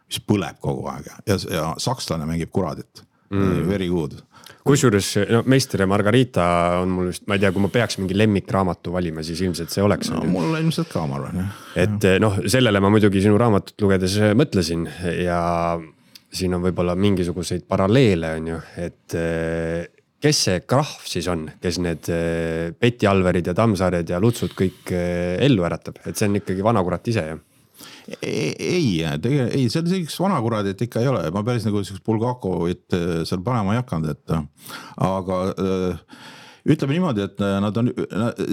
mis põleb kogu aeg ja, ja sakslane mängib kuradit mm. very good. Kusjuures no, Meister ja Margarita on mul just, ma ei tea, kui ma peaks mingi lemmikraamatu valima, siis ilmselt see oleks. No, mul ilmselt ka, ma arvan. Jah. Et noh, sellele ma muidugi sinu raamatut lugedes mõtlesin ja siin on võib-olla mingisuguseid paralleele on ju, et kes see krahv siis on, kes need Peti Alverid ja Tammsaared ja Lutsud kõik ellu äratab, et see on ikkagi vanakurat ise jah? Ei, ei, tegelikult, ei, seal selliseks vanakuradit ikka ei ole, ma päris nagu Bulgakovit seal panema ei hakanud, et aga ütleme niimoodi, et nad on,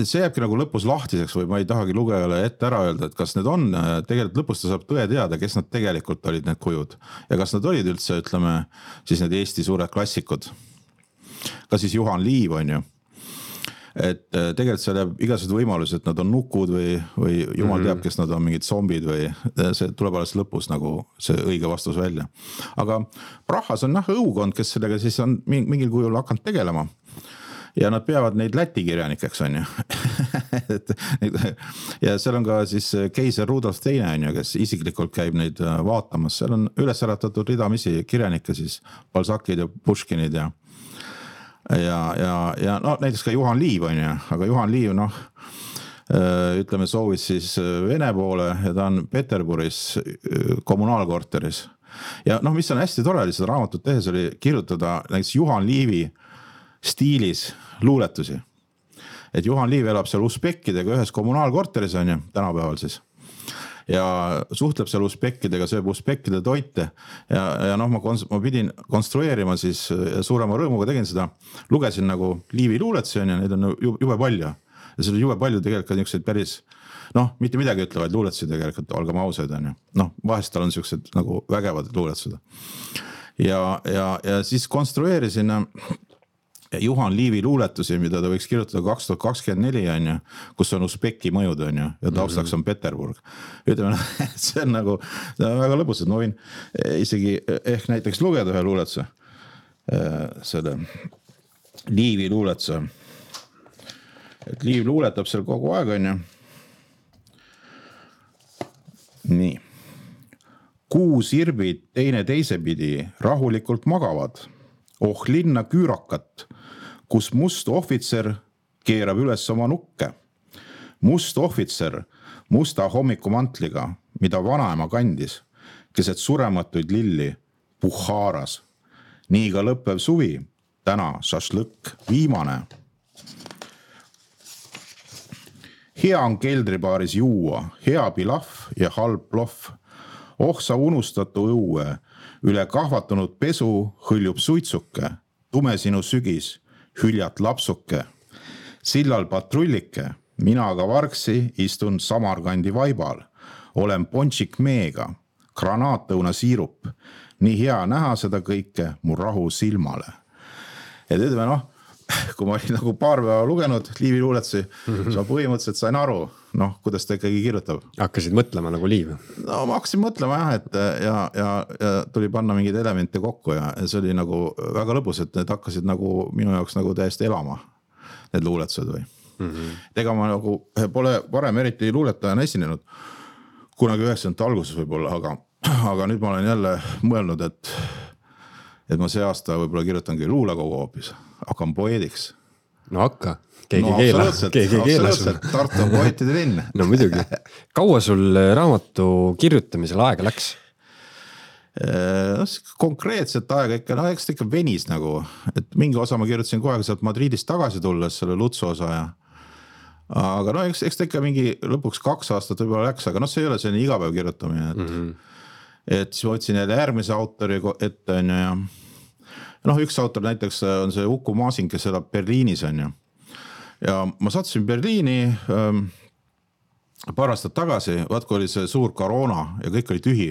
see jääbki nagu lõpus lahtiseks või ma ei tahagi lugejale ette ära öelda, et kas need on, tegelikult lõpus ta saab tõe teada, kes nad tegelikult olid need kujud ja kas nad olid üldse, ütleme, siis need Eesti suured klassikud, ka siis Juhan Liiv on ju. Et tegelikult seal jääb igasugused võimalused, et nad on nukud või, või jumal teab, kes nad on mingid zombid või see tuleb alles lõpus nagu see õige vastus välja. Aga Prahas on jah õukond, kes sellega siis on mingil kujul hakanud tegelema ja nad peavad neid Läti kirjanikeks on ju. ja seal on ka siis keiser Rudolf teine on ju, kes isiklikult käib neid vaatamas, seal on üles äratatud ridamisi kirjanikke siis Balzacid ja Puškinid ja ja, ja, ja no näiteks ka Juhan Liiv on ju, aga Juhan Liiv noh, ütleme soovis siis Vene poole ja ta on Peterburis kommunaalkorteris. Ja noh, mis on hästi tore oli seda raamatut tehes oli kirjutada näiteks Juhan Liivi stiilis luuletusi. Et Juhan Liiv elab seal usbekkidega ühes kommunaalkorteris on ju, tänapäeval siis. Ja suhtleb seal usbekkidega, sööb usbekkide toite ja, ja noh, ma, kons- ma pidin konstrueerima siis ja suurema rõõmuga tegin seda, lugesin nagu Liivi luuletusi ja neid on jube palju ja see oli jube palju tegelikult niisuguseid päris noh, mitte midagi ütlevaid luuletusi tegelikult, olgem ausad on ju, noh, vahest tal on niisugused nagu vägevad luuletused ja, ja, ja siis konstrueerisin Juhan Liivi luuletusi, mida ta võiks kirjutada kaks tuhat kakskümmend neli on ju, kus on Usbeki mõjud on ju, ja taustaks on Peterburg. Ütleme, see on nagu see on väga lõbus, et ma võin isegi ehk näiteks lugeda ühe luuletuse, selle Liivi luuletuse. Et Liiv luuletab seal kogu aeg on ju. Nii. Kuu sirbid teine teise pidi rahulikult magavad. Oh linna küürakat, kus must ohvitser keerab üles oma nukke. Must ohvitser musta hommikumantliga, mida vanaema kandis, keset surematuid lilli Puhharas. Nii ka lõppev suvi, täna šašlõkk, viimane. Hea on keldribaaris juua, hea pilaf ja halb ploff. Oh sa unustatu õue, üle kahvatunud pesu hõljub suitsuke, tume sinu sügis, hüljat lapsuke. Sillal patrullike, mina aga vargsi istun Samarkandi vaibal, olen pončik meega, granaatõuna siirup, nii hea näha seda kõike mu rahu silmale. Et ütleme noh, kui ma olin nagu paar päeva lugenud Liivi luuletusi, mm-hmm. siis ma põhimõtteliselt sain aru, noh, kuidas ta ikkagi kirjutab. Hakkasid mõtlema nagu Liiv? No ma hakkasin mõtlema jah, et ja, ja, ja tuli panna mingeid elemente kokku ja see oli nagu väga lõbus, et need hakkasid nagu minu jaoks nagu täiesti elama, need luuletused või. Mm-hmm. Ega ma nagu pole varem eriti luuletajana esinenud, kunagi üheksakümnendate alguses võib-olla, aga, aga nüüd ma olen jälle mõelnud, et, et ma see aasta võib-olla kirjutangi luulekogu hoopis, hakkan poeediks. No hakka, keegi no, keela. Keegi keela sul. Tartu on poetide linn. No muidugi. Kaua sul raamatu kirjutamisel aega läks? No, konkreetset aega ikka, no eks ta ikka venis nagu, et mingi osa ma kirjutasin kohe sealt Madridist tagasi tulles, selle Lutsu osa ja aga no eks, eks ta ikka mingi lõpuks kaks aastat võib-olla läks, aga no see ei ole selline igapäev kirjutamine, et, mm-hmm. et siis ma võtsin jälle järgmise autori ette on ja noh, üks autor näiteks on see Uku Maasin, kes elab Berliinis on ju. Ja ma sattusin Berliini ähm, paar aastat tagasi, vaat kui oli see suur koroona ja kõik oli tühi.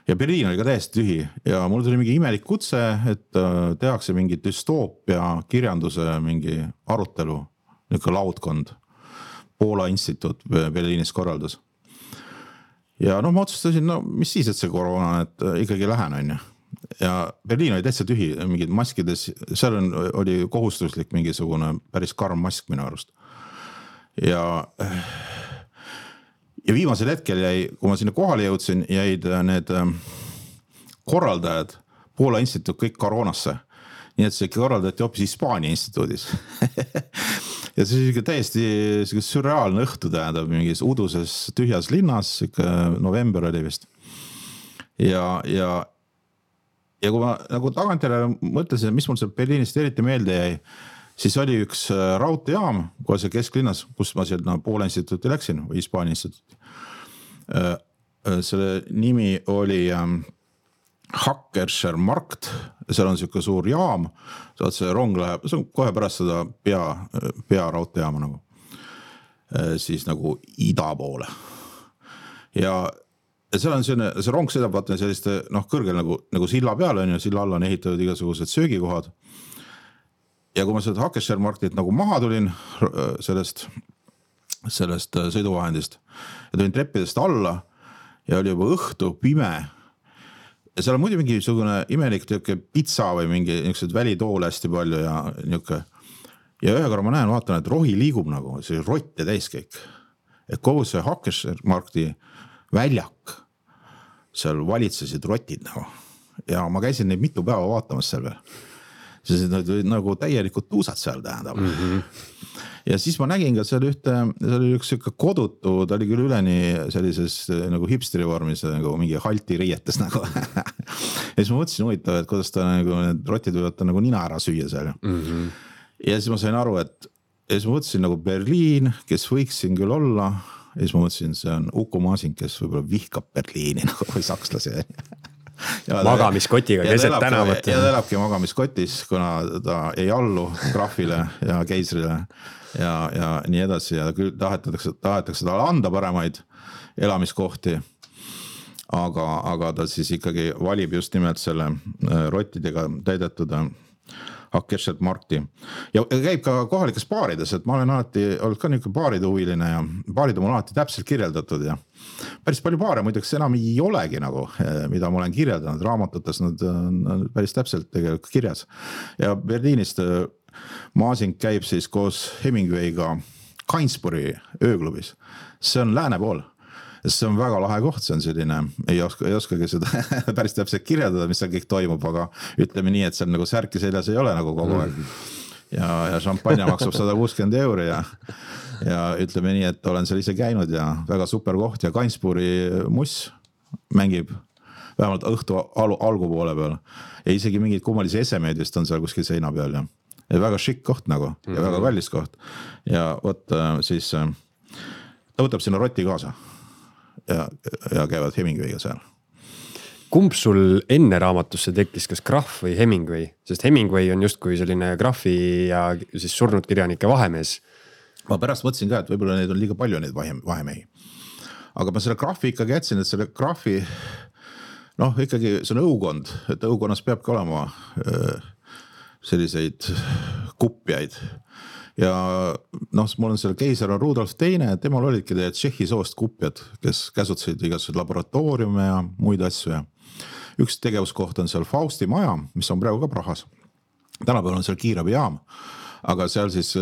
Ja Berliin oli ka täiesti tühi ja mul tuli mingi imelik kutse, et äh, tehakse mingi düstoopia kirjanduse mingi arutelu, niisugune laudkond. Poola instituut Berliinis korraldas. Ja noh, ma otsustasin, no mis siis, et see koroona, et äh, ikkagi lähen on ju. Ja Berliin oli täitsa tühi, mingid maskides, seal on, oli kohustuslik mingisugune päris karm mask minu arust. Ja, ja viimasel hetkel jäi, kui ma sinna kohale jõudsin, jäid need korraldajad Poola instituut kõik koroonasse. Nii et see korraldati hoopis Hispaania instituudis. ja see on täiesti sürreaalne õhtu tähendab mingis uduses tühjas linnas, november oli vist. Ja, ja, ja kui ma nagu tagantjärele mõtlesin, mis mul seal Berliinist eriti meelde jäi, siis oli üks raudteejaam kohe seal kesklinnas, kus ma seal no, Poola instituuti läksin või Hispaania instituuti. Selle nimi oli Hakkerscher Markt, seal on selline suur jaam, saad see rong läheb, see on kohe pärast seda pea, pea raudteejaama nagu, siis nagu ida poole. Ja seal on selline, see rong sõidab vaata selliste noh, kõrgel nagu, nagu silla peal on ja silla alla on ehitatud igasugused söögikohad. Ja kui ma seda Hakkerscher Marktit nagu maha tulin sellest, sellest sõiduvahendist ja tulin treppidest alla ja oli juba õhtu pime. Ja seal on muidu mingi sugune imelik pitsa või mingi niisugused välitoole hästi palju ja niisugune. Ja ühe korra ma näen, vaatan, et rohi liigub nagu, see rott ja täis kõik. Et kogu see Hakkerscher Markti väljak, seal valitsesid rotid nagu. Ja ma käisin neid mitu päeva vaatamas seal veel. See olid nagu täielikult tuusad seal tähendab. Mm-hmm. Ja siis ma nägin ka seal ühte, seal oli üks kodutu, ta oli küll üleni sellises nagu hipsteri vormis, nagu mingi halti riietes nagu. Ja siis ma mõtlesin huvitav, et kuidas ta nagu, need rotid võivad ta nagu nina ära süüa seal. Mm-hmm. Ja siis ma sain aru, et ja siis ma mõtlesin nagu Berliin, kes võiks siin küll olla. Ja siis ma mõtlesin, see on Uku Masing, kes võib-olla vihkab Berliini nagu või sakslasi. Ja magamiskotiga keset tänavat. Ja ta elabki magamiskotis, kuna ta ei allu graafile ja keisrile ja, ja nii edasi ja küll tahetakse, tahetakse talle anda paremaid elamiskohti, aga, aga ta siis ikkagi valib just nimelt selle rottidega täidetud Hakkerscher Markti. Ja käib ka kohalikes baarides, et ma olen alati olnud ka niisugune baaride huviline ja baarid on alati täpselt kirjeldatud ja päris palju baare muideks enam ei olegi nagu, mida ma olen kirjeldanud raamatutes, nad on päris täpselt tegelikult kirjas. Ja Berliinist Masing käib siis koos Hemingwayga Gainsburi ööklubis. See on lääne pool. See on väga lahe koht, see on selline, ei oska, ei oskagi seda päris täpselt kirjeldada, mis seal kõik toimub, aga ütleme nii, et seal nagu särki seljas ei ole nagu kogu aeg. Ja, ja šampanja maksab sada kuuskümmend euri ja, ja ütleme nii, et olen seal ise käinud ja väga super koht ja Gainsburi muss mängib vähemalt õhtu al algupoole peal ja isegi mingid kummalisi esemeid vist on seal kuskil seina peal ja, ja väga šikk koht nagu ja mm-hmm. väga kallis koht ja võt siis ta võtab sinna rotti kaasa. Ja, ja käivad Hemingwayga seal. Kumb sul enne raamatusse tekkis, kas Graff või Hemingway? Sest Hemingway on just kui selline Graffi ja siis surnud kirjanike vahemees. Ma pärast mõtlesin ka, et võib-olla neid on liiga palju neid vahemehi. Aga ma selle Graffi ikkagi jätsin, et selle Graffi, noh ikkagi see on õukond, et õukonnas peabki olema selliseid kupjaid. Ja noh, mul on selle keisar on Rudolf teine, temal olidki teie Tšehhi soost kupjad, kes käsutasid igasugused laboratooriume ja muid asju ja üks tegevuskoht on seal Fausti maja, mis on praegu ka Prahas. Tänapäeval on seal kiirabijaam, aga seal siis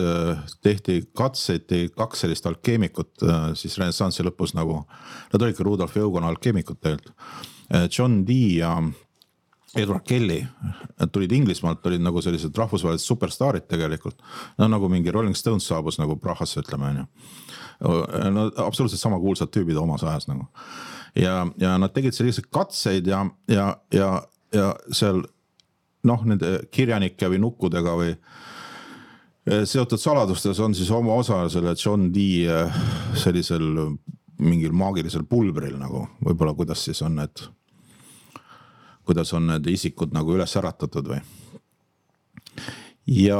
tehti katseid, kaks sellist alkeemikut siis renessansi lõpus nagu, nad olid ka Rudolf Eugona alkeemikut tegelikult, John Dee ja Edward Kelly, nad tulid Inglismaalt, olid nagu sellised rahvusvahelised superstaarid tegelikult. No nagu mingi Rolling Stones saabus nagu Prahasse, ütleme. No, absoluutselt sama kuulsad tüübid omas ajas nagu. Ja, ja nad tegid sellised katseid ja, ja, ja, ja seal noh, nende kirjanike või nukkudega või seotud saladustes on siis oma osa selle John Dee sellisel mingil maagilisel pulbril nagu, võib-olla kuidas siis on need kuidas on need isikud nagu üles äratatud või. Ja,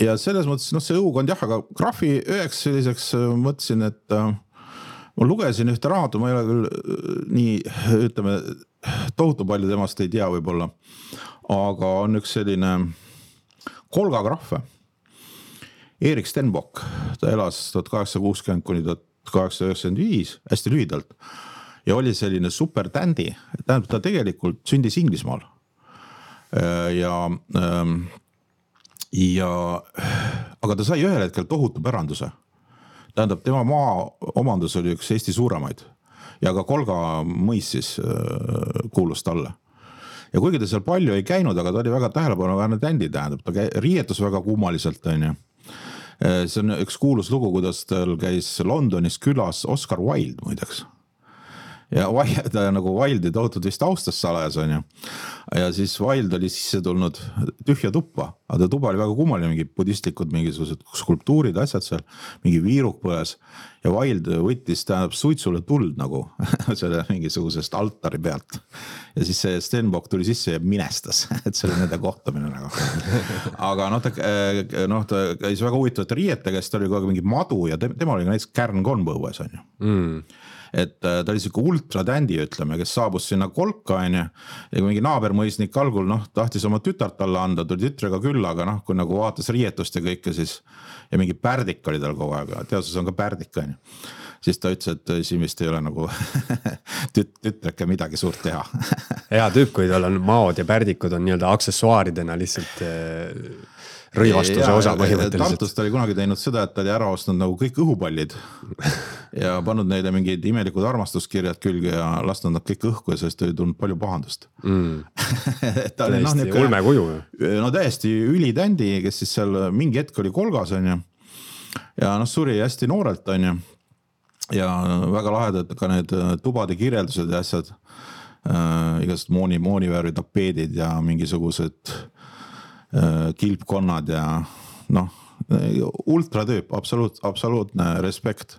ja selles mõttes, noh see õukond jah, aga Graffi üheks selliseks mõtlesin, et äh, ma lugesin ühte raamatu, ma ei ole küll nii, ütleme, tohutu palju temast ei tea võib-olla, aga on üks selline Kolga Graffe, Erik Stenbock, ta elas tuhat kaheksasada kuuskümmend kuni tuhat kaheksasada üheksakümmend viis, hästi lühidalt. Ja oli selline super tändi, tähendab ta tegelikult sündis Inglismaal. Ja, ja, aga ta sai ühel hetkel tohutu päranduse. tähendab, tema maa omandus oli üks Eesti suuremaid ja ka Kolga mõis siis kuulus talle. Ja kuigi ta seal palju ei käinud, aga ta oli väga tähelepanuväärne tändi, tähendab, ta käi, riietus väga kummaliselt, on ju. See on üks kuulus lugu, kuidas tal käis Londonis külas Oscar Wilde muideks. Ja ta nagu Wilde'i tohutud vist austas salajas, on ju. Ja siis Wilde oli sisse tulnud tühja tuppa, aga ta tuba oli väga kummaline, mingi budistlikud mingisugused skulptuurid, asjad seal, mingi viiruk põles. Ja Wilde võttis tähendab suitsule tuld nagu selle mingisugusest altari pealt. Ja siis see Stenbock tuli sisse ja minestas, et see oli nende kohtamine nagu. Aga noh, ta, no, ta käis väga huvitavate riietega, siis ta oli kogu mingi madu ja tema oli ka näiteks Kärn Konbõues, on ju. Mm. Et ta oli siuke ultra tändi, ütleme, kes saabus sinna Kolka, on ju, ja kui mingi naabermõisnik algul, noh, tahtis oma tütart talle anda, tuli tütrega külla, aga noh, kui nagu vaatas riietust ja kõike, siis ja mingi pärdik oli tal kogu aeg, teaduses on ka pärdik, on ju. Siis ta ütles, et siin vist ei ole nagu tüt- tütreke midagi suurt teha. Hea tüüp, kui tal on maod ja pärdikud on nii-öelda aksessuaaridena lihtsalt rõivastuse ja, osa põhimõtteliselt. Tartust oli kunagi teinud seda, et ta oli ära ostnud nagu kõik õhupallid ja pannud neile mingid imelikud armastuskirjad külge ja lastnud nad kõik õhku ja sellest oli tulnud palju pahandust. Mm. ta oli, täiesti no, ulme kuju. No täiesti ülitändi, kes siis seal mingi hetk oli Kolgas, on ju. Ja noh, suri hästi noorelt, on ju. Ja väga lahedad ka need tubade kirjeldused ja asjad. Äh, igast mooni, moonivärvi tapeedid ja mingisugused kilpkonnad ja noh, ultratüüp, absoluut, absoluutne respekt.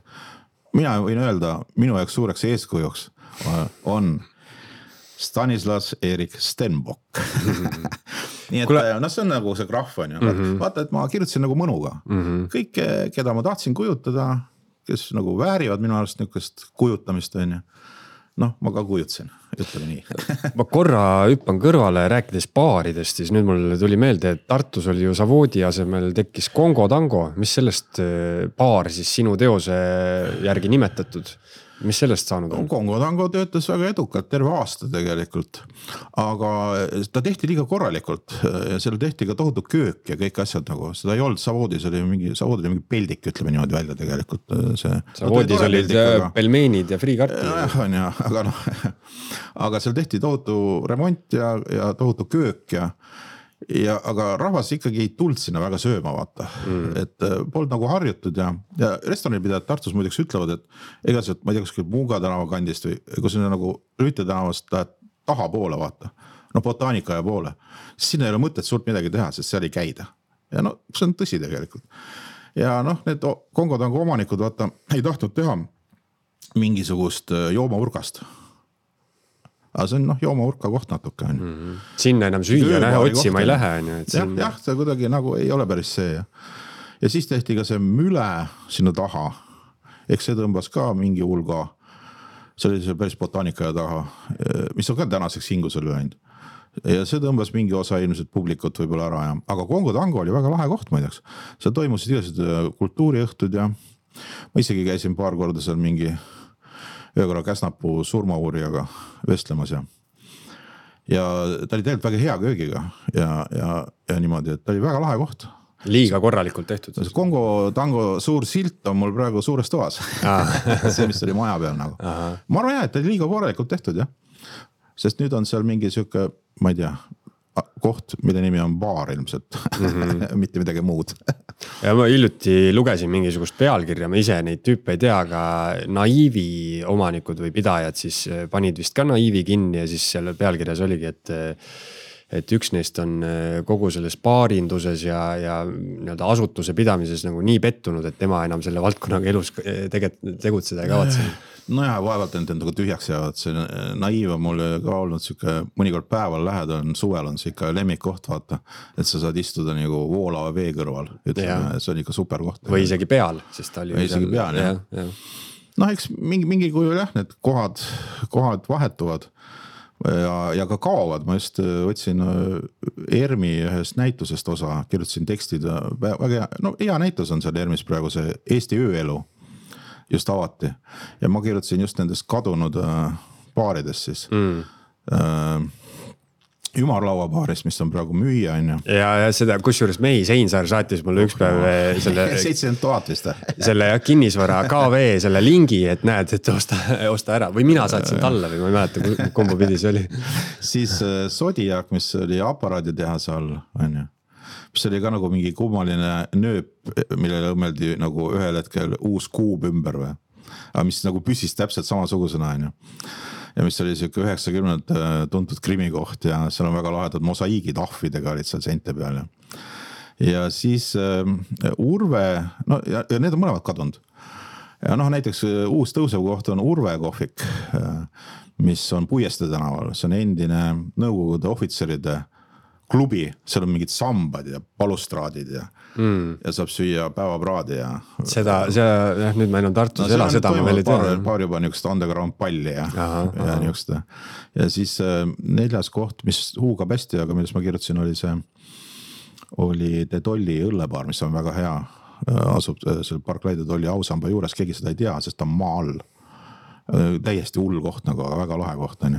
Mina võin öelda, minu jaoks suureks eeskujuks on Stanislas Erik Stenbock. Nii et Kule... no see on nagu see graf on ju. Mm-hmm. Vaata, et ma kirjutasin nagu mõnuga. Mm-hmm. Kõik, keda ma tahtsin kujutada, kes nagu väärivad minu arust niisugust kujutamist on ju. Noh, ma ka kujutsin, ütleme nii. Ma korra hüppan kõrvale rääkides baaridest, siis nüüd mul tuli meelde, et Tartus oli ju Savoodi asemel tekkis Kongo Tango. Mis sellest baar siis sinu teose järgi nimetatud? Mis sellest saanud on? Kongo Tango töötas väga edukalt terve aasta tegelikult, aga ta tehti liiga korralikult ja seal tehti ka tohutu köök ja kõik asjad nagu, seda ei olnud Savoodis, oli mingi, Savoodis oli mingi peldik, ütleme niimoodi välja tegelikult. See, Savoodis no, olid aga... pelmeenid ja friikartid. No, jah, on ja, aga noh, aga seal tehti tohutu remont ja, ja tohutu köök ja Ja, aga rahvas ikkagi ei tulnud sinna väga sööma vaata, mm. et polnud nagu harjutud ja, ja restoranipidajad Tartus muideks ütlevad, et ega see, ma ei tea, kuskil Muuga tänava kandist või kui sinna nagu Rüüte tänavast taha poole vaata, no botaanika ja poole, siis sinna ei ole mõtet suurt midagi teha, sest seal ei käida. Ja no see on tõsi tegelikult. Ja noh, need Kongo Tango omanikud vaata ei tahtnud teha mingisugust joomaurgast. Aga see on noh, jooma-urka koht natuke. Mm-hmm. Sinna enam süüa nähe otsima ei lähe. Et jah, jah, see kuidagi nagu ei ole päris see. Ja, ja siis tehti ka see müle sinna taha. Eks see tõmbas ka mingi hulga. See oli see päris botaanika ja taha, mis on ka tänaseks hingus oli läinud. Ja see tõmbas mingi osa ilmselt publikut võib-olla ära. Ja. Aga Kongo Tango oli väga lahe koht muideks. Seal toimusid igased kultuuriõhtud ja ma isegi käisin paar korda seal mingi öökorra Käsnapuu surmauurijaga vestlemas ja ja ta oli tegelikult väga hea köögiga ja, ja, ja niimoodi, et ta oli väga lahe koht. Liiga korralikult tehtud. Kongo Tango suur silt on mul praegu suures toas. see, mis oli maja peal nagu. Aha. Ma arvan jah, et ta oli liiga korralikult tehtud jah. Sest nüüd on seal mingi siuke, ma ei tea, koht, mille nimi on baar ilmselt, mm-hmm. mitte midagi muud. Ja ma hiljuti lugesin mingisugust pealkirja, ma ise neid tüüpe ei tea, aga Naiivi omanikud või pidajad siis panid vist ka Naiivi kinni ja siis selle pealkirjas oligi, et et üks neist on kogu selles baarinduses ja, ja nii-öelda asutuse pidamises nagu nii pettunud, et tema enam selle valdkonnaga elus teget, tegutseda ei kavatse. No jah, vaevalt end endaga tühjaks jäävad, see Naiiv on mul ka olnud siuke, mõnikord päeval lähed on, suvel on see ikka lemmikkoht vaata, et sa saad istuda nagu voolava vee kõrval, ütleme, see on ikka super koht. Või isegi peal, sest ta oli või isegi peal, jah. Ja, ja. Noh, eks mingi, mingi kujul jah, need kohad, kohad vahetuvad ja, ja ka kaovad, ma just võtsin ERMi ühest näitusest osa, kirjutasin tekstid, väga hea, no hea näitus on seal ERMis praegu see Eesti ööelu just avati ja ma kirjutasin just nendest kadunud baaridest siis mm. ümarlauabaaris, mis on praegu müüa, on ju. Ja, ja seda, kus juures Mei Seinsaar saatis mulle üks päev selle seitsekümmend tuhat vist. selle kinnisvara K V selle lingi, et näed, et osta, osta ära või mina saatsin talle või ma ei mäleta, kumba pidi see oli. Siis Zodiac, mis oli aparaaditehase all, on ju. Mis oli ka nagu mingi kummaline nööp, millele õmmeldi nagu ühel hetkel uus kuub ümber või. Aga mis nagu püsis täpselt samasugusena, on ju. Ja mis oli siuke üheksakümnendad tuntud krimikoht ja seal on väga lahedad mosaiigid ahvidega olid seal seinte peal. Ja, ja siis uh, Urve, no ja, ja need on mõlemad kadunud. Ja noh, näiteks uus tõusev koht on Urve kohvik, uh, mis on Puieste tänaval. See on endine nõukogude ohvitseride klubi, seal on mingid sambad ja balustraadid ja, mm. ja saab süüa päevapraadi ja. Seda, see, jah, nüüd ma enam Tartus no, ela, seda ma veel ei tea. Paar juba niisugust underground palli ja, aha, ja aha. Niisugust. Ja siis neljas koht, mis huugab hästi, aga millest ma kirjutasin, oli see, oli De Tolli õllebaar, mis on väga hea. Asub selle Parklai De Tolli ausamba juures, keegi seda ei tea, sest ta on maa all. Täiesti hull koht nagu, aga väga lahe koht on ju.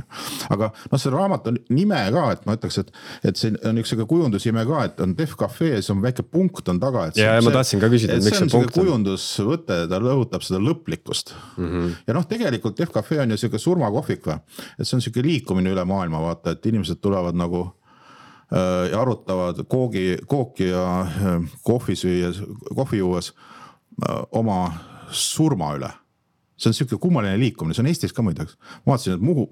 Aga noh, see raamat on nime ka, et ma ütleks, et, et see on üks kujundusime ka, et on Def Cafe, see on väike punkt on taga. Et ja, see, ja ma tahtsin ka küsida, et miks see punkt on. Kujundusvõte, ta lõhutab seda lõplikkust. Mm-hmm. Ja noh, tegelikult Def Cafe on ju selline surmakohvik või, et see on selline liikumine üle maailma, vaata, et inimesed tulevad nagu äh, ja arutavad koogi, kooki ja äh, kohvi süües, kohvi juues äh, oma surma üle. See on selline kummaline liikumine, see on Eestis ka muideks. Ma vaatasin, et Muhu,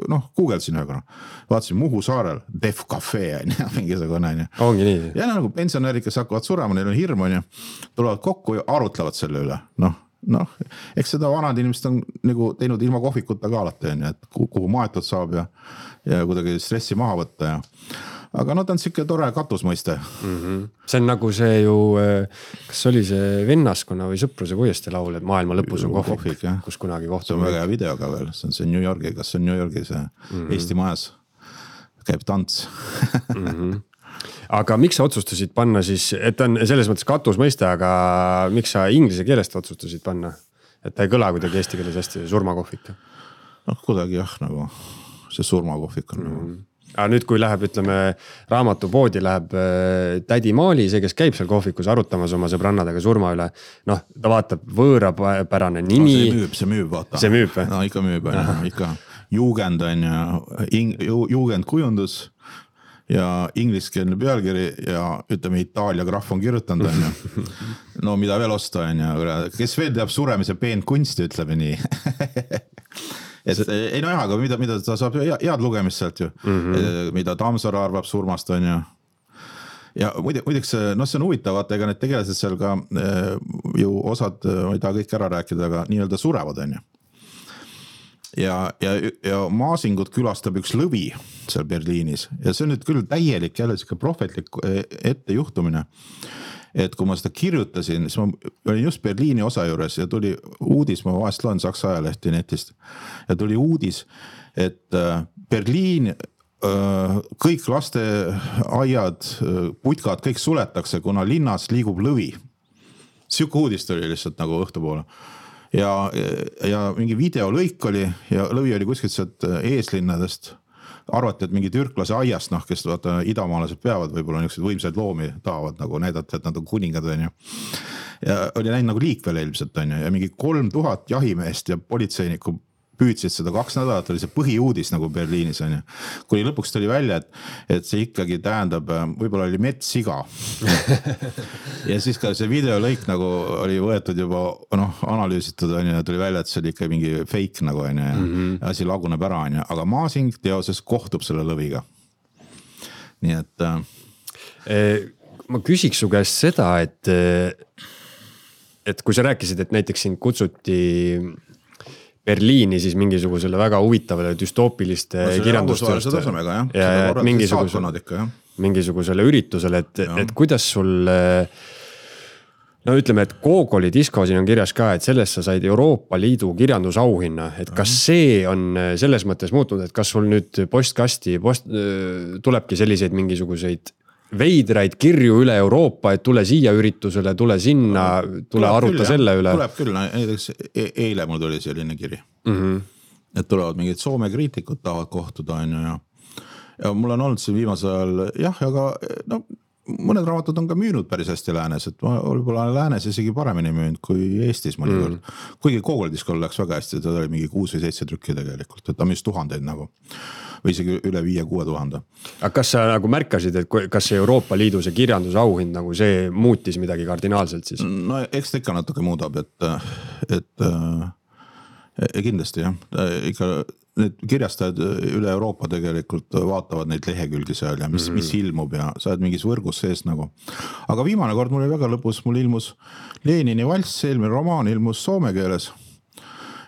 noh, kuugeldasin ühega, vaatasin Muhu saarel, Def Cafe, mingisugune. Ongi nii. Ja nagu pensionärid, kes hakkavad surema, neil on hirm, on ju, tulevad kokku ja arutlevad selle üle. Noh, noh, eks seda vanad inimesed on nagu teinud ilma kohvikuta ka alati, on ju, et kuhu maetud saab ja, ja kuidagi stressi maha võtta ja aga no ta on siuke tore katusmõiste. Mm-hmm. See on nagu see ju, kas oli see vennaskonna või sõpruse Puieste laul, et maailma lõpus on kohvik, kohvik kus kunagi kohtum. See on väga hea video ka veel, see on see New Yorgi, kas see on New Yorgi see mm-hmm. Eesti majas käib tants. mm-hmm. Aga miks sa otsustasid panna siis, et on selles mõttes katusmõiste, aga miks sa inglise keelest otsustasid panna? Et ta ei kõla kuidagi eesti keeles hästi surmakohvik? noh, kuidagi jah, nagu see surmakohvik on mm-hmm. nagu aga nüüd, kui läheb, ütleme, raamatupoodi läheb tädi Maali, see, kes käib seal kohvikus arutamas oma sõbrannadega surma üle, noh, ta vaatab võõrapärane nimi. No, see müüb, see müüb, vaata. See müüb või? No ikka müüb, ikka. Jugend on ja jugend kujundus ja ingliskeelne pealkiri ja ütleme, Itaalia graf on kirjutanud on ja. No mida veel osta on ja, kes veel teab suremise peen kunsti, ütleme nii. Et, ei no jah, aga mida, mida ta saab head lugemist sealt ju, mm-hmm. mida Tammsaare arvab surmast on ju. Ja muideks, no see on huvitav, vaata, ega need tegelased seal ka ju osad, ma ei taha kõik ära rääkida, aga nii-öelda surevad on ju. Ja, ja, ja Maasingut külastab üks lõvi seal Berliinis ja see on nüüd küll täielik jälle siuke prohvetlik ettejuhtumine. Et kui ma seda kirjutasin, siis ma olin just Berliini osa juures ja tuli uudis, ma vahest loen Saksa ajalehti netist ja tuli uudis, et Berliin, kõik lasteaiad, putkad, kõik suletakse, kuna linnas liigub lõvi. Siuke uudis tuli lihtsalt nagu õhtupoole. Ja, ja mingi videolõik oli ja lõvi oli kuskilt sealt eeslinnadest. Arvati, et mingi türklase aiast, noh, kes vaata, idamaalased peavad, võib-olla niisugused võimsaid loomi tahavad nagu näidata, et nad on kuningad on ju. Ja oli näinud nagu liik veel ilmselt on ju ja mingi kolm tuhat jahimeest ja politseiniku püüdsid seda kaks nädalat, oli see põhiuudis nagu Berliinis on ju. Kuni lõpuks tuli välja, et, et see ikkagi tähendab, võib-olla oli metssiga. Ja siis ka see videolõik nagu oli võetud juba noh, analüüsitud on ju ja tuli välja, et see oli ikka mingi fake nagu on ju ja mm-hmm. asi laguneb ära on ju, aga Maasing teoses kohtub selle lõviga. Nii et äh... ma küsiks su käest seda, et et kui sa rääkisid, et näiteks sind kutsuti Berliini siis mingisugusele väga huvitavale düstoopiliste no, kirjandustööste tasemega, jah. ja, ja mingisugusele, ikka, mingisugusele üritusele, et, et kuidas sul no ütleme, et Gogoli disko siin on kirjas ka, et sellest sa said Euroopa Liidu kirjandusauhinna, et kas see on selles mõttes muutunud, et kas sul nüüd postkasti post, tulebki selliseid mingisuguseid veidraid kirju üle Euroopa, et tule siia üritusele, tule sinna, tule tuleb aruta küll, selle üle. Tuleb küll, näiteks eile mul tuli selline kiri. Mm-hmm. Et tulevad mingid Soome kriitikud tahavad kohtuda on ju ja ja mul on olnud siin viimasel ajal, jah, aga no, mõned raamatud on ka müünud päris hästi läänes, et ma võib-olla läänes isegi paremini müünud kui Eestis mõnikord. Mm. Kuigi Google-diskol läks väga hästi, ta oli mingi kuus või seitse trükki tegelikult, et ta müüs tuhandeid nagu. Või isegi üle viie kuue tuhande. Aga kas sa nagu märkasid, et kas see Euroopa Liidu see kirjandusauhind nagu see muutis midagi kardinaalselt siis? No eks ta ikka natuke muudab, et, et äh, kindlasti jah, ikka need kirjastajad üle Euroopa tegelikult vaatavad neid lehekülgi seal ja mis, mis ilmub ja sa oled mingis võrgus sees nagu. Aga viimane kord mul oli väga lõpus, mul ilmus Lenini valss, eelmine romaan ilmus soome keeles.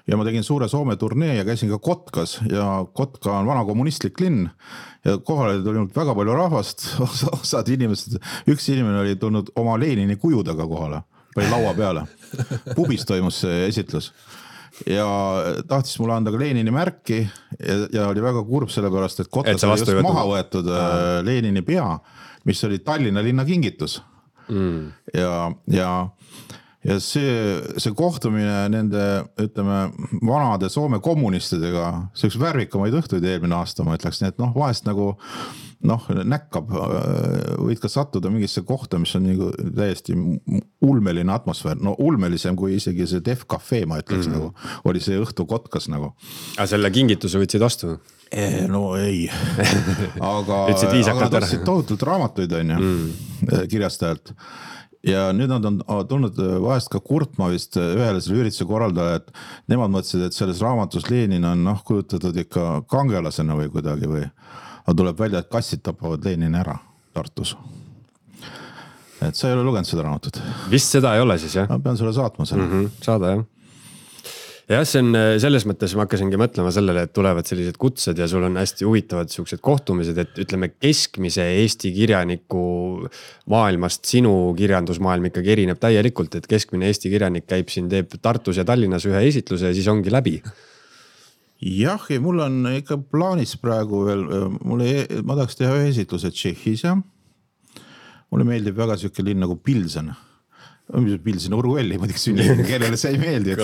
Ja ma tegin suure Soome turnee ja käisin ka Kotkas ja Kotka on vana kommunistlik linn ja kohale oli tulnud väga palju rahvast, osad inimesed, üks inimene oli tulnud oma Lenini kujudega kohale, või laua peale. Pubis toimus see esitlus. Ja tahtis mulle anda ka Lenini märki ja, ja oli väga kurb sellepärast, et Kotkas et oli just maha võetud äh. Lenini pea, mis oli Tallinna linna kingitus. Mm. Ja, ja, ja see, see kohtumine nende, ütleme, vanade Soome kommunistidega, see üks värvikamaid õhtuid eelmine aasta, ma ütleks, nii et noh, vahest nagu noh, näkkab, võid ka sattuda mingisse kohta, mis on nagu täiesti ulmeline atmosfäär, no ulmelisem kui isegi see Def Cafe, ma ütleks mm. nagu, oli see õhtu Kotkas nagu. Aga selle kingituse võtsid vastu? E, no ei, aga, aga nad ostsid tohutult raamatuid on ju, mm. kirjastajalt. Ja nüüd nad on tulnud vahest ka kurtma vist ühele selle ürituse korraldaja, et nemad mõtlesid, et selles raamatus Lenin on noh, kujutatud ikka kangelasena või kuidagi või aga tuleb välja, et kassid tapavad Lenini ära Tartus. Et sa ei ole lugenud seda raamatut? Vist seda ei ole siis, jah? Ma pean sulle saatma selle. Mm-hmm, saada, jah. Jah, see on selles mõttes, ma hakkasingi mõtlema sellele, et tulevad sellised kutsed ja sul on hästi huvitavad siuksed kohtumised, et ütleme keskmise Eesti kirjaniku maailmast sinu kirjandusmaailm ikkagi erineb täielikult, et keskmine Eesti kirjanik käib siin, teeb Tartus ja Tallinnas ühe esitluse ja siis ongi läbi. Jah, ja mul on ikka plaanis praegu veel, mulle, ma tahaks teha ühe esitluse Tšehhis ja mulle meeldib väga siuke linn nagu Pilsen. Pilsen Urguelli, ma tiks sünni, kellele see ei meeldi,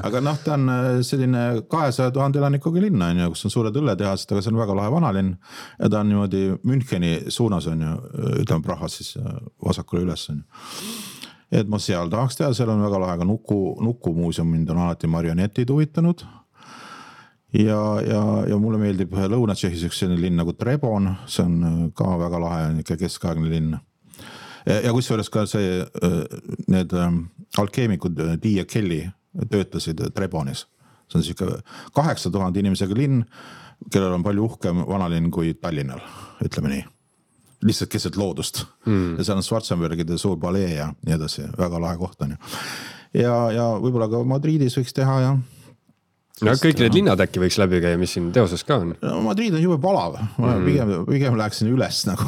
aga noh, ta on selline kahesaja tuhande elanikuga linna, kus on suured õlletehased, aga see on väga lahe vanalinn ja ta on niimoodi Müncheni suunas on ju, ütleme Prahas siis vasakule üles on ju. Et ma seal tahaks teha, seal on väga lahe ka nuku, nuku muuseum, mind on alati marionetid huvitanud. Ja, ja, ja mulle meeldib Lõuna-Tšehhis üks selline linn nagu Trebon, see on ka väga lahe, ikka keskaegne linn. Ja, ja kusjuures ka see, need alkeemikud Dee ja Kelly töötasid Trebonis. See on siuke kaheksa tuhande inimesega linn, kellel on palju uhkem vanalinn kui Tallinnal, ütleme nii. Lihtsalt keset loodust. Mm. Ja seal on Schwarzenbergide suur palee ja nii edasi, väga lahe koht on ju. Ja, ja võib-olla ka Madridis võiks teha ja no kõik need linnad äkki võiks läbi käia, mis siin teoses ka on? No, Madrid on jube palav, ma mm. pigem, pigem läheksin üles nagu,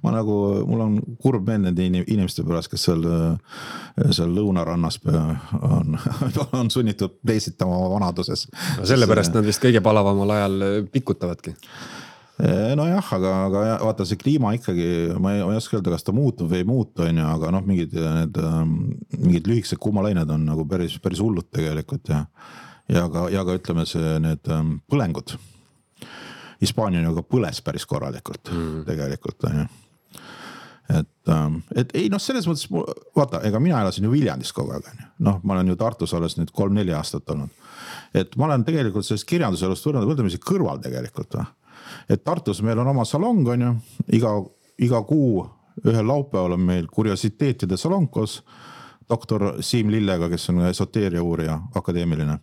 ma nagu, mul on kurb meel nende inimeste pärast, kes seal, seal lõunarannas on, on sunnitud peisitama vanaduses. No sellepärast nad vist kõige palavamal ajal pikutavadki. No jah, aga, aga vaata see kliima ikkagi, ma ei, ma ei oska öelda, kas ta muutub või ei muutu, on ju, aga noh, mingid, need, mingid lühikesed kuumalained on nagu päris, päris hullud tegelikult ja Ja ka, ja ka ütleme see need ähm, põlengud. Hispaania on ju ka põles päris korralikult mm. tegelikult. On ju. Et, ähm, et ei noh, selles mõttes, vaata, ega mina elasin ju Viljandis kogu aeg. Noh, ma olen ju Tartus alles nüüd kolm-neli aastat olnud. Et ma olen tegelikult sellest kirjanduselust võrdlemisi kõrval tegelikult. Et Tartus meil on oma salong, on ju, iga, iga kuu ühel laupäeval on meil kuriositeetide salonkos, doktor Siim Lillega, kes on esoteeria uurija, akadeemiline.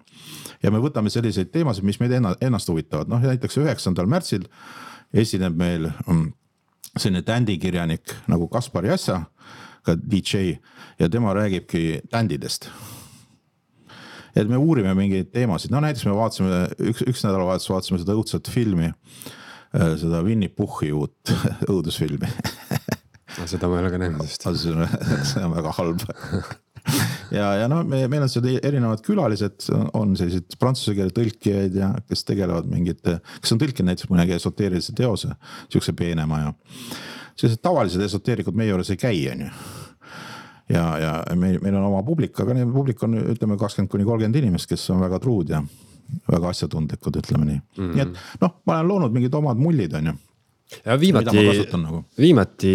Ja me võtame selliseid teemasid, mis meid ennast huvitavad. Noh, näiteks üheksandal märtsil esineb meil selline tändikirjanik nagu Kaspar Jassa, ka D J, ja tema räägibki tändidest. Et me uurime mingeid teemasid. No näiteks me vaatasime, üks, üks nädalavahetus vaatasime seda õudset filmi, seda Winnie Puhhi uut õudusfilmi. Seda ma ei ole ka näinud just. See on väga halb. Ja, ja no, me, meil on seda erinevad külalised, on sellised prantsuse keele tõlkijaid ja kes tegelevad mingid, kes on tõlkinud näiteks mõnegi esoteerilise teose, siukse peenema ja sellised tavalised esoteerikud meie juures ei käi, on ju. Ja, ja meil, meil on oma publik, aga publik on, ütleme, kakskümmend kuni kolmkümmend inimest, kes on väga truud ja väga asjatundlikud, ütleme nii mm. nii et noh, ma olen loonud mingid omad mullid on ju. Ja viimati, nagu. viimati,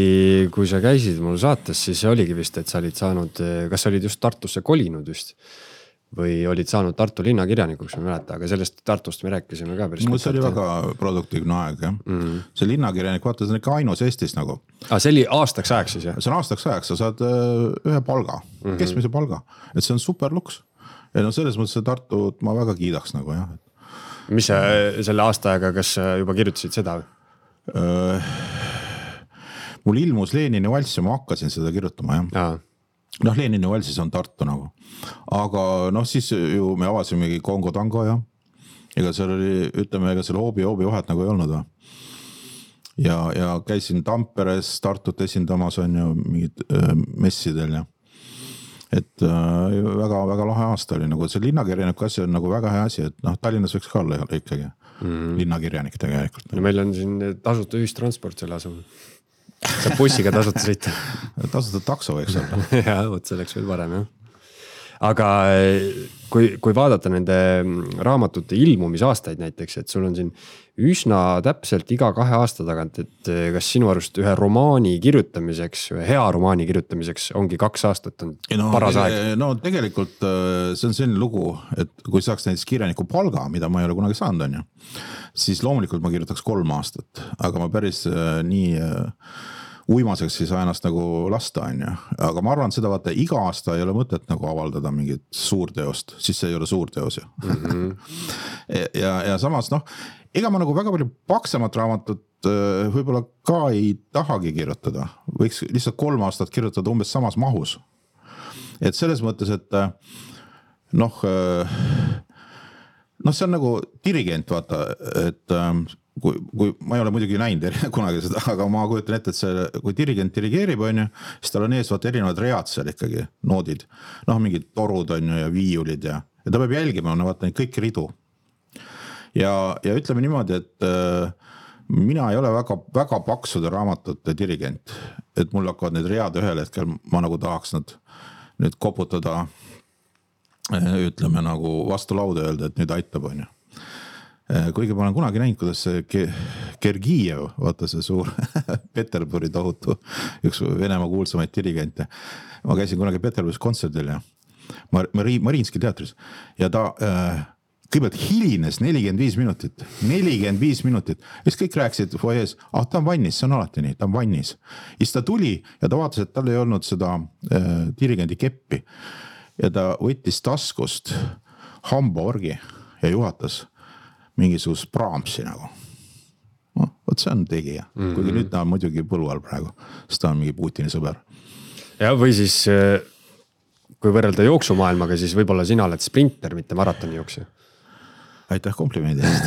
kui sa käisid mul saates, siis oligi vist, et sa olid saanud, kas sa olid just Tartusse kolinud just või olid saanud Tartu linnakirjanikuks, ma mäleta, aga sellest Tartust me rääkisime ka päris. Mul see oli väga produktiivne aeg, jah. Mm. See linnakirjanik, vaata, see on ikka ainus Eestis nagu. Ah, see oli aastaks ajaks siis, jah? See on aastaks ajaks, sa saad ühe palga, mm-hmm. keskmise palga, et see on super luks. Ja no selles mõttes see Tartut ma väga kiidaks nagu, jah. Mis sa selle aasta aega, kas juba kirjutasid seda? Öö, mul ilmus Lenini valss ja ma hakkasin seda kirjutama, jah. Ja. Noh, Lenini valsis on Tartu nagu. Aga noh, siis ju me avasimegi Kongo tango ja ega seal oli, ütleme, ega seal hoobi hoobi vahet nagu ei olnud. Va? Ja, ja käisin Tamperes Tartut esindamas on ju mingid öö, messidel ja et äh, väga, väga lahe aasta oli nagu see linnakirjaniku asi on nagu väga hea asi, et noh, Tallinnas võiks ka olla ikkagi mm. linnakirjanik tegelikult. No meil on siin tasuta ühistransport selle asemel. Saab bussiga tasuta sõita. Tasuta takso võiks olla. ja, võt see oleks veel parem, jah. Aga kui, kui vaadata nende raamatute ilmumisaastaid näiteks, et sul on siin üsna täpselt iga kahe aasta tagant, et kas sinu arust ühe romaani kirjutamiseks, ühe hea romaani kirjutamiseks ongi kaks aastat on no, paras aeg? No tegelikult see on selline lugu, et kui saaks näiteks kirjaniku palga, mida ma ei ole kunagi saanud, on ju, siis loomulikult ma kirjutaks kolm aastat, aga ma päris nii uimaseks ei saa ennast nagu lasta, on ju. Aga ma arvan seda, vaata, iga aasta ei ole mõtet nagu avaldada mingit suurteost, siis see ei ole suurteos ju. Mm-hmm. ja, ja samas noh, ega ma nagu väga palju paksemat raamatut võib-olla ka ei tahagi kirjutada. Võiks lihtsalt kolm aastat kirjutada umbes samas mahus. Et selles mõttes, et noh, noh see on nagu dirigent, vaata, et kui, kui ma ei ole muidugi näinud kunagi seda, aga ma kujutan ette, et see, kui dirigent dirigeerib, on ju, siis tal on ees vaata erinevad read seal ikkagi, noodid. Noh, mingid torud on ju ja viiulid ja, ja ta peab jälgima, on vaata neid kõik ridu. Ja, ja ütleme niimoodi, et äh, mina ei ole väga, väga paksude raamatute dirigent, et mul hakkavad need read ühel hetkel, ma nagu tahaks nad nüüd koputada, ütleme nagu vastu lauda öelda, et nüüd aitab, on ju. Kuigi ma olen kunagi näinud, kuidas see Gergijev, vaata see suur Peterburi tohutu, üks Venemaa kuulsamaid dirigente. Ma käisin kunagi Peterburis kontserdil ja Mariinski teatris ja ta äh, kõigepealt hilines nelikümmend viis minutit, nelikümmend viis minutit. Ja siis kõik rääkisid foyees, ah ta on vannis, see on alati nii, ta on vannis. Ja siis ta tuli ja ta vaatas, et tal ei olnud seda äh, dirigendi keppi ja ta võttis taskust hambaorgi ja juhatas mingisugust Brahmsi nagu. No, võt see on tegija. Mm-hmm. Kuigi nüüd ta on muidugi põllu all praegu, sest ta on mingi Putini sõber. Ja või siis, kui võrrelda jooksumaailmaga, siis võib-olla sina oled sprinter, mitte maratoni jooksja. Aitäh komplimendi eest.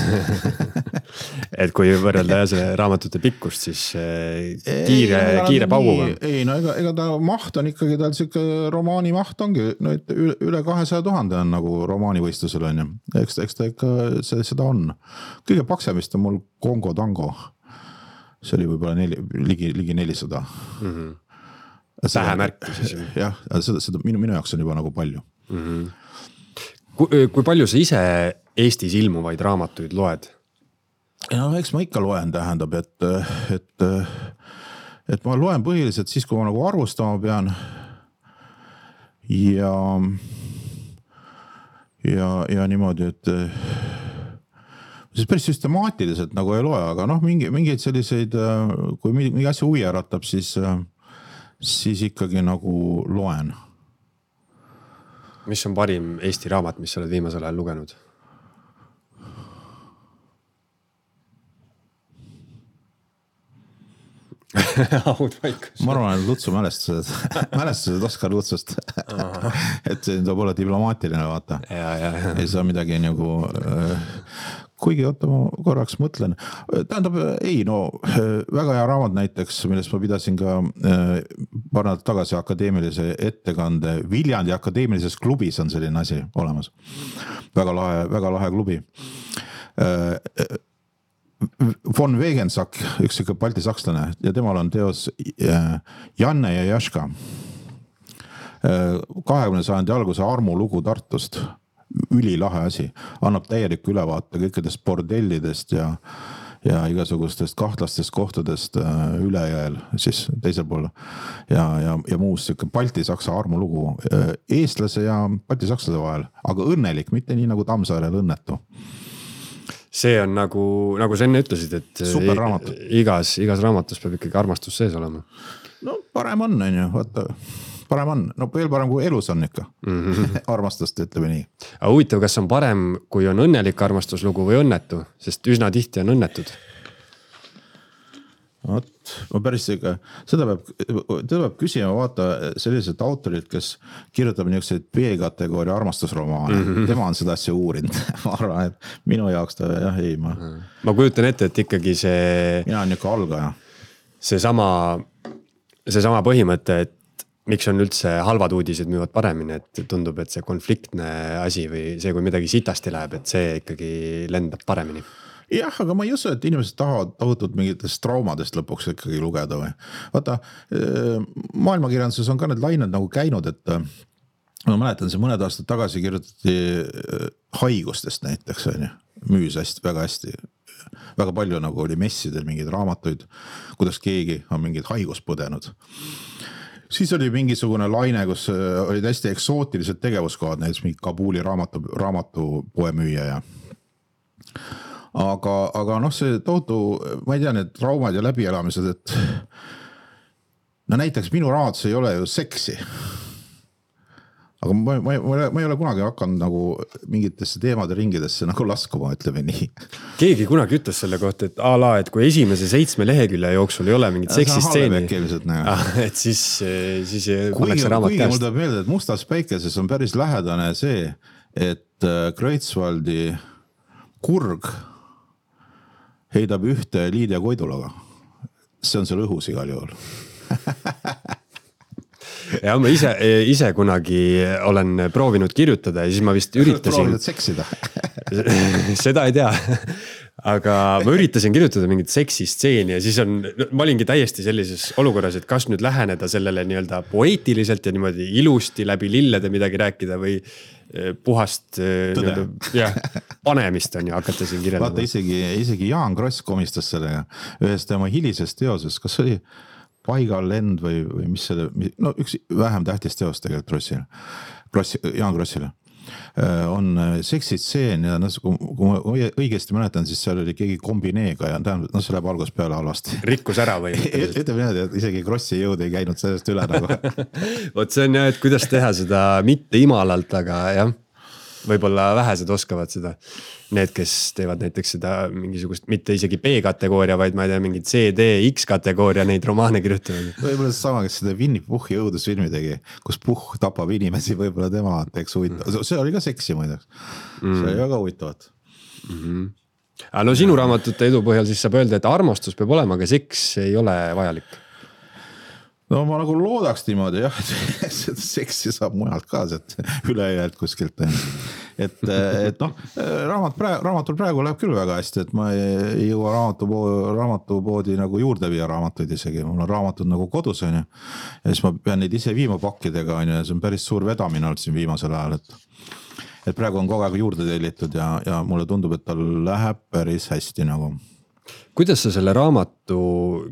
et kui võrrelda see raamatute pikkust, siis kiire, ei, kiire pauguga. Ei, no ega, ega ta maht on ikkagi, tal siuke romaani maht ongi, no et üle kahesaja tuhande on nagu romaanivõistlusel on ju. Eks, eks ta ikka see, seda on. Kõige paksemist on mul Kongo tango. See oli võib-olla neli, ligi, ligi nelisada. Mm-hmm. Tähemärk siis. Jah, seda, seda minu, minu jaoks on juba nagu palju. Mm-hmm. Kui, kui palju sa ise Eestis ilmuvaid raamatuid loed? No eks ma ikka loen, tähendab, et, et, et ma loen põhiliselt siis, kui ma nagu arvustama pean ja, ja, ja niimoodi, et siis päris süstemaatiliselt nagu ei loe, aga noh, mingi, mingeid selliseid, kui mingi asja huvi äratab, siis, siis ikkagi nagu loen. Mis on parim Eesti raamat, mis sa oled viimasel ajal lugenud? ma arvan, et Lutsu mälestused, mälestused Oskar Lutsust. et see tuleb olla diplomaatiline, vaata. Ja, ja, ja. Ei saa midagi nagu... Kuigi oota, ma korraks mõtlen. Tähendab, ei, no väga hea raamat näiteks, millest ma pidasin ka paar nädalat tagasi akadeemilise ettekande. Viljandi akadeemilises klubis on selline asi olemas. Väga lahe, väga lahe klubi. Von Wegensack, üks ikka balti sakslane ja temal on teos Janne ja Jaška. kahekümnenda sajandi alguse armu lugu Tartust. ülilahe asi, annab täielik ülevaate kõikidest bordellidest ja ja igasugustest kahtlastest kohtadest ülejääl siis teisel pool ja, ja, ja muus siuke Balti-Saksa armulugu eestlase ja Balti-Sakslase vahel, aga õnnelik, mitte nii nagu Tammsaarel õnnetu. See on nagu, nagu sa enne ütlesid, et super raamat. igas, igas raamatus peab ikkagi armastus sees olema. No parem on, on ju, vaata, parem on, no veel parem kui elus on ikka mm-hmm. armastust, ütleme nii. Aga huvitav, kas on parem, kui on õnnelik armastuslugu või õnnetu, sest üsna tihti on õnnetud. Vot, ma päris ikka, seda peab, teda peab küsima vaata sellised autorid, kes kirjutab niisuguseid B-kategooria armastusromaane. Mm-hmm. Tema on seda asja uurinud. Ma arvan, et minu jaoks ta jah, ei ma. Ma kujutan ette, et ikkagi see... Mina on niuke algaja. See sama, see sama põhimõte, et miks on üldse halvad uudised müüvad paremini, et tundub, et see konfliktne asi või see, kui midagi sitasti läheb, et see ikkagi lendab paremini. Jah, aga ma ei usu, et inimesed tahavad tohutult mingitest traumadest lõpuks ikkagi lugeda või. Vaata, maailmakirjanduses on ka need lained nagu käinud, et ma mäletan, see mõned aastad tagasi kirjutati haigustest näiteks, müüs hästi, väga hästi. Väga palju nagu oli messidel mingeid raamatuid, kuidas keegi on mingid haigust põdenud. Siis oli mingisugune laine, kus olid hästi eksootilised tegevuskohad, näiteks mingi Kabuli raamatu, raamatupoe müüja ja aga, aga noh, see tohutu, ma ei tea, need traumad ja läbielamised, et no näiteks minu raamatus ei ole ju seksi. Aga ma, ma, ma ei ole kunagi hakanud nagu mingitesse teemade ringidesse nagu laskuma, ütleme nii. Keegi kunagi ütles selle kohta, et ala, et kui esimese seitsme lehekülje jooksul ei ole mingit seksistseeni, et siis, siis pannakse raamat käest. Kuigi mul tuleb meelde, et Mustas päikeses on päris lähedane see, et Kreutzwaldi kurg heidab ühte Liidia Koidulaga. See on seal õhus igal juhul. Ja ma ise, ise kunagi olen proovinud kirjutada ja siis ma vist üritasin... Proovinud seksida? Seda ei tea. Aga ma üritasin kirjutada mingit seksistseeni ja siis on, ma olingi täiesti sellises olukorras, et kas nüüd läheneda sellele nii-öelda poeetiliselt ja niimoodi ilusti läbi lillede midagi rääkida või puhast ja, panemist on ja hakata siin kirjeldama. Vaata, isegi, isegi Jaan Kross komistas sellega ühes tema hilisest teoses, kas oli Paigal lend või, või mis selle, no üks vähem tähtis teos tegelikult Krossile, Krossi, Jaan Krossile on seksitseen ja no, kui ma õigesti mäletan, siis seal oli keegi kombineega ja tähendab, no see läheb algust peale halvasti. Rikkus ära või? Ütleme niimoodi, et isegi Krossi jõud ei käinud sellest üle nagu. Vot see on jah, et kuidas teha seda mitte imalalt, aga jah, võib-olla vähesed oskavad seda. Need, kes teevad näiteks seda mingisugust, mitte isegi B-kategooria, vaid ma ei tea, mingid C D X-kategooria neid romaane kirjutavad. Võib-olla see sama, kes seda Winnie Puhhi õudusfilmi tegi, kus Puhh tapab inimesi, võib-olla tema teeks huvitav. See oli ka seksi muideks. See oli väga huvitavat. Mm-hmm. Aga no sinu raamatute edu põhjal siis saab öelda, et armastus peab olema, aga seks ei ole vajalik. No ma nagu loodaks niimoodi jah, et seda seksi saab mujalt ka, et ülejäält kuskilt. Et, et noh, raamat praegu, raamatul praegu läheb küll väga hästi, et ma ei jõua raamatupoodi, raamatupoodi nagu juurde viia raamatuid isegi. Mul on raamatud nagu kodus on ja, ja siis ma pean neid ise viima pakkidega on ja see on päris suur vedamine olnud siin viimasel ajal, et, et praegu on kogu aeg juurde tellitud ja, ja mulle tundub, et tal läheb päris hästi nagu. Kuidas sa selle raamatu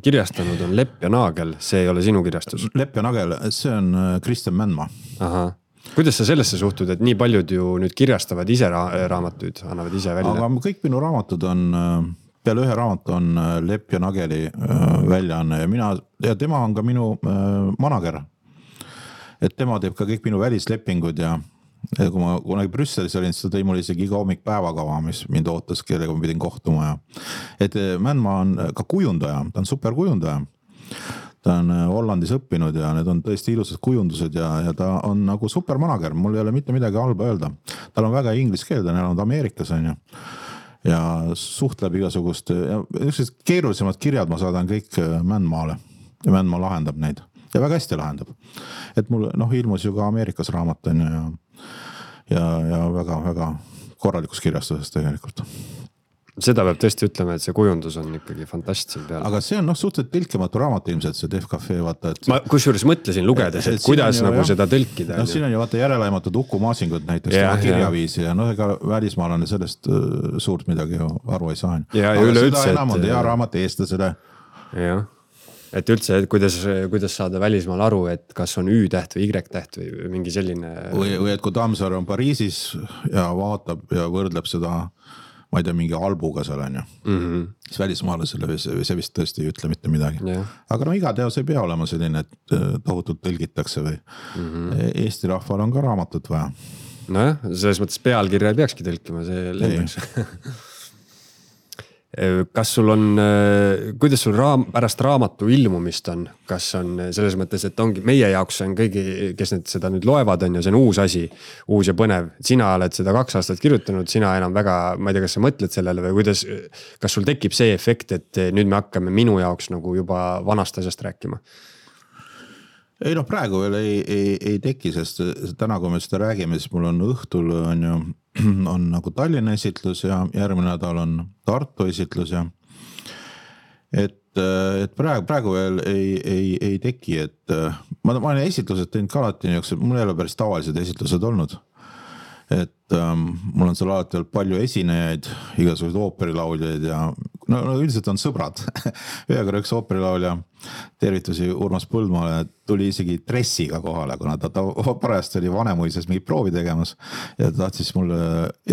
kirjastanud on Lepp ja Naagel? See ei ole sinu kirjastus. Lepp ja Naagel, see on Kristjan Mändmaa. Aha. Kuidas sa sellesse suhtud, et nii paljud ju nüüd kirjastavad ise ra- raamatuid, annavad ise välja? Aga kõik minu raamatud on, peale ühe raamat on Lepp ja Naageli väljaanne ja mina, ja tema on ka minu manager. Et tema teeb ka kõik minu välislepingud ja Ja kui ma kunagi Brüsselis olin, siis ta tõi mulle isegi iga hommik päevakava, mis mind ootas, kellega ma pidin kohtuma. Ja. Et Mändmaa on ka kujundaja, ta on super kujundaja. Ta on Hollandis õppinud ja need on tõesti ilusad kujundused ja, ja ta on nagu super manager. Mul ei ole mitte midagi halba öelda. Tal on väga inglis keel, ta on Ameerikas on ja, ja suhtleb igasugust. Ja keerulisemad kirjad ma saadan kõik Mändmaale ja Mändmaa lahendab neid. Ja väga hästi lahendab. Et mul noh, ilmus ju ka Ameerikas raamat on ja, ja, ja väga, väga korralikus kirjastuses tegelikult. seda peab tõesti ütlema, et see kujundus on ikkagi fantastiline peal. Aga see on noh suhteliselt tõlkimatu raamat ilmselt see Def Cafe, vaata. Et... ma kusjuures mõtlesin lugedes, et, et kuidas nagu jah, seda tõlkida. No siin on ju vaata järelaimatud Uku Maasingud näiteks ja, kirjaviisi ja, ja noh, ega välismaalane sellest uh, suurt midagi ju aru ei saa. Ja, aga üle seda üldse, enam on et... hea raamat eestlasele. Jah, et üldse, et kuidas, kuidas saada välismaal aru, et kas on Ü-täht või Y-täht või mingi selline... Või, või et kui Tammsaare on Pariisis ja vaatab ja võrdleb seda ma ei tea, mingi albuga seal on ju mm -hmm. siis välismaalasele see vist tõesti ei ütle mitte midagi yeah. aga no iga teos ei pea olema selline, et tohutult tõlgitakse või mm -hmm. Eesti rahval on ka raamatut vaja. Nojah, selles mõttes pealkirja ei peakski tõlkima, see lendaks. Kas sul on, kuidas sul raam, pärast raamatu ilmumist on, kas on selles mõttes, et ongi meie jaoks on kõigi, kes need seda nüüd loevad on ja see on uus asi, uus ja põnev. Sina oled seda kaks aastat kirjutanud, sina enam väga, ma ei tea, kas sa mõtled sellele või kuidas, kas sul tekib see efekt, et nüüd me hakkame minu jaoks nagu juba vanast asjast rääkima? Ei noh, praegu veel ei, ei, ei teki, sest täna, kui me seda räägime, siis mul on õhtul on ju on nagu Tallinna esitlus ja järgmine nädal on Tartu esitlus ja et, et praegu, praegu veel ei, ei, ei teki, et ma, ma olen esitlused teinud ka alati nii, mul ei ole päris tavalised esitlused olnud, et um, mul on seal alati olnud palju esinejaid, igasuguseid ooperilauljaid ja no, no üldiselt on sõbrad. Ühega üks ooperilaulja, tervitusi Urmas Põldmaale, tuli isegi dressiga kohale, kuna ta, ta parajast oli Vanemuises mingi proovi tegemas ja ta tahtis mulle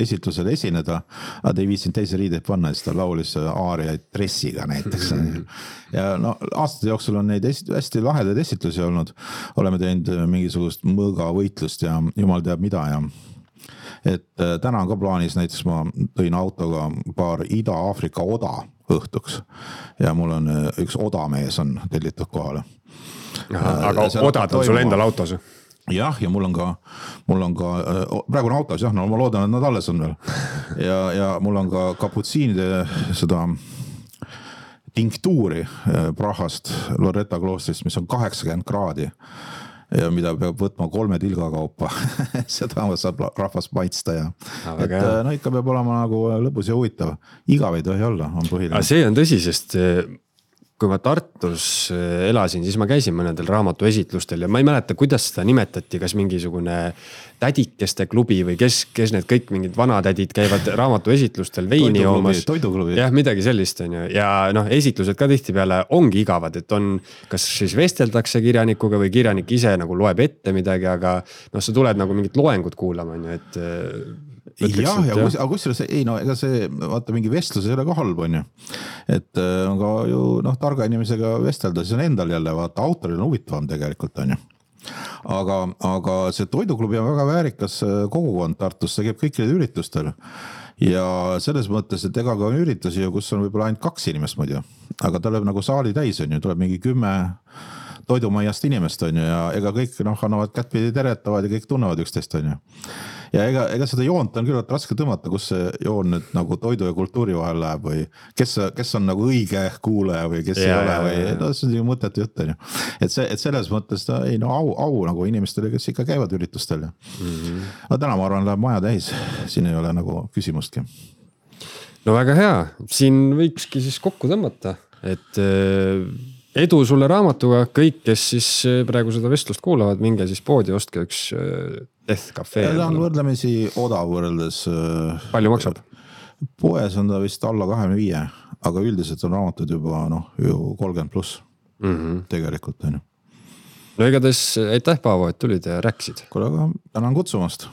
esitlusel esineda, aga ta ei viitsinud teise riideid panna, siis ta laulis aariaid dressiga näiteks. Ja no aastate jooksul on neid esi, hästi lahedaid esitlusi olnud, oleme teinud mingisugust mõõga võitlust ja jumal teab mida ja et täna on ka plaanis, näiteks ma tõin autoga paar Ida-Aafrika oda õhtuks ja mul on üks odamees on tellitud kohale. Aha, aga odad on sul endal autos? Jah, ja mul on ka, mul on ka, praegu on autos, jah, no ma loodan, et nad alles on veel. Ja, ja mul on ka kaputsiinide seda tinktuuri Prahast, Loretta kloostrist, mis on kaheksakümmend kraadi. Ja mida peab võtma kolme tilga kaupa. Seda saab rahvas maitsta ja ah, et no ikka peab olema nagu lõbus ja huvitav. Igav ei tohi olla, on põhiline. Aga see on tõsi, sest kui ma Tartus elasin, siis ma käisin mõnedel raamatu esitlustel ja ma ei mäleta, kuidas seda nimetati, kas mingisugune tädikeste klubi või kes, kes need kõik mingid vanatädid käivad raamatu esitlustel veini joomas. Toiduklubi. Jah, midagi sellist on ju. Ja noh, esitlused ka tihti peale ongi igavad, et on, kas siis vesteldakse kirjanikuga või kirjanik ise nagu loeb ette midagi, aga noh, sa tuled nagu mingit loengut kuulama, on ju, et Ütleks, jah, ja kus, aga kusjuures ei no ega see vaata mingi vestlus ei ole ka halb on ju. Et on ka ju noh targa inimesega vestelda, siis on endal jälle vaata autoril on huvitavam tegelikult on ju. Aga, aga see toiduklubi on väga väärikas kogukond Tartus, see käib kõikidel üritustel. Ja selles mõttes, et ega ka on üritusi, kus on võib-olla ainult kaks inimest ma ei tea. Aga ta läheb nagu saali täis on ju, tuleb mingi kümme toidumaiast inimest on ju ja ega kõik noh, annavad kättpidi teretavad ja kõik tunnevad üksteist on ju. Ja ega, ega seda joont on küll raske tõmmata, kus see joon nüüd nagu toidu ja kultuuri vahel läheb või kes, kes on nagu õige kuulaja või kes ja, ei ole või no, see on ju mõttetu jutt on ju. Et, see, et selles mõttes ta ei no au, au nagu inimestele, kes ikka käivad üritustel. Mm-hmm. No täna ma arvan, läheb maja täis, siin ei ole nagu küsimustki. No väga hea, siin võikski siis kokku tõmmata, et edu sulle raamatuga, kõik, kes siis praegu seda vestlust kuulavad, minge siis poodi, ostke üks Def Cafe. Ta on võrdlemisi odav võrreldes. Palju maksab? Poes on ta vist alla kahekümne viie, aga üldiselt on raamatud juba noh, ju kolmkümmend pluss mm-hmm. tegelikult on ju. No igatahes aitäh Paavo, et tulid ja rääkisid. Kuule, aga tänan kutsumast.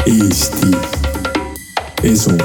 Eesti Esu.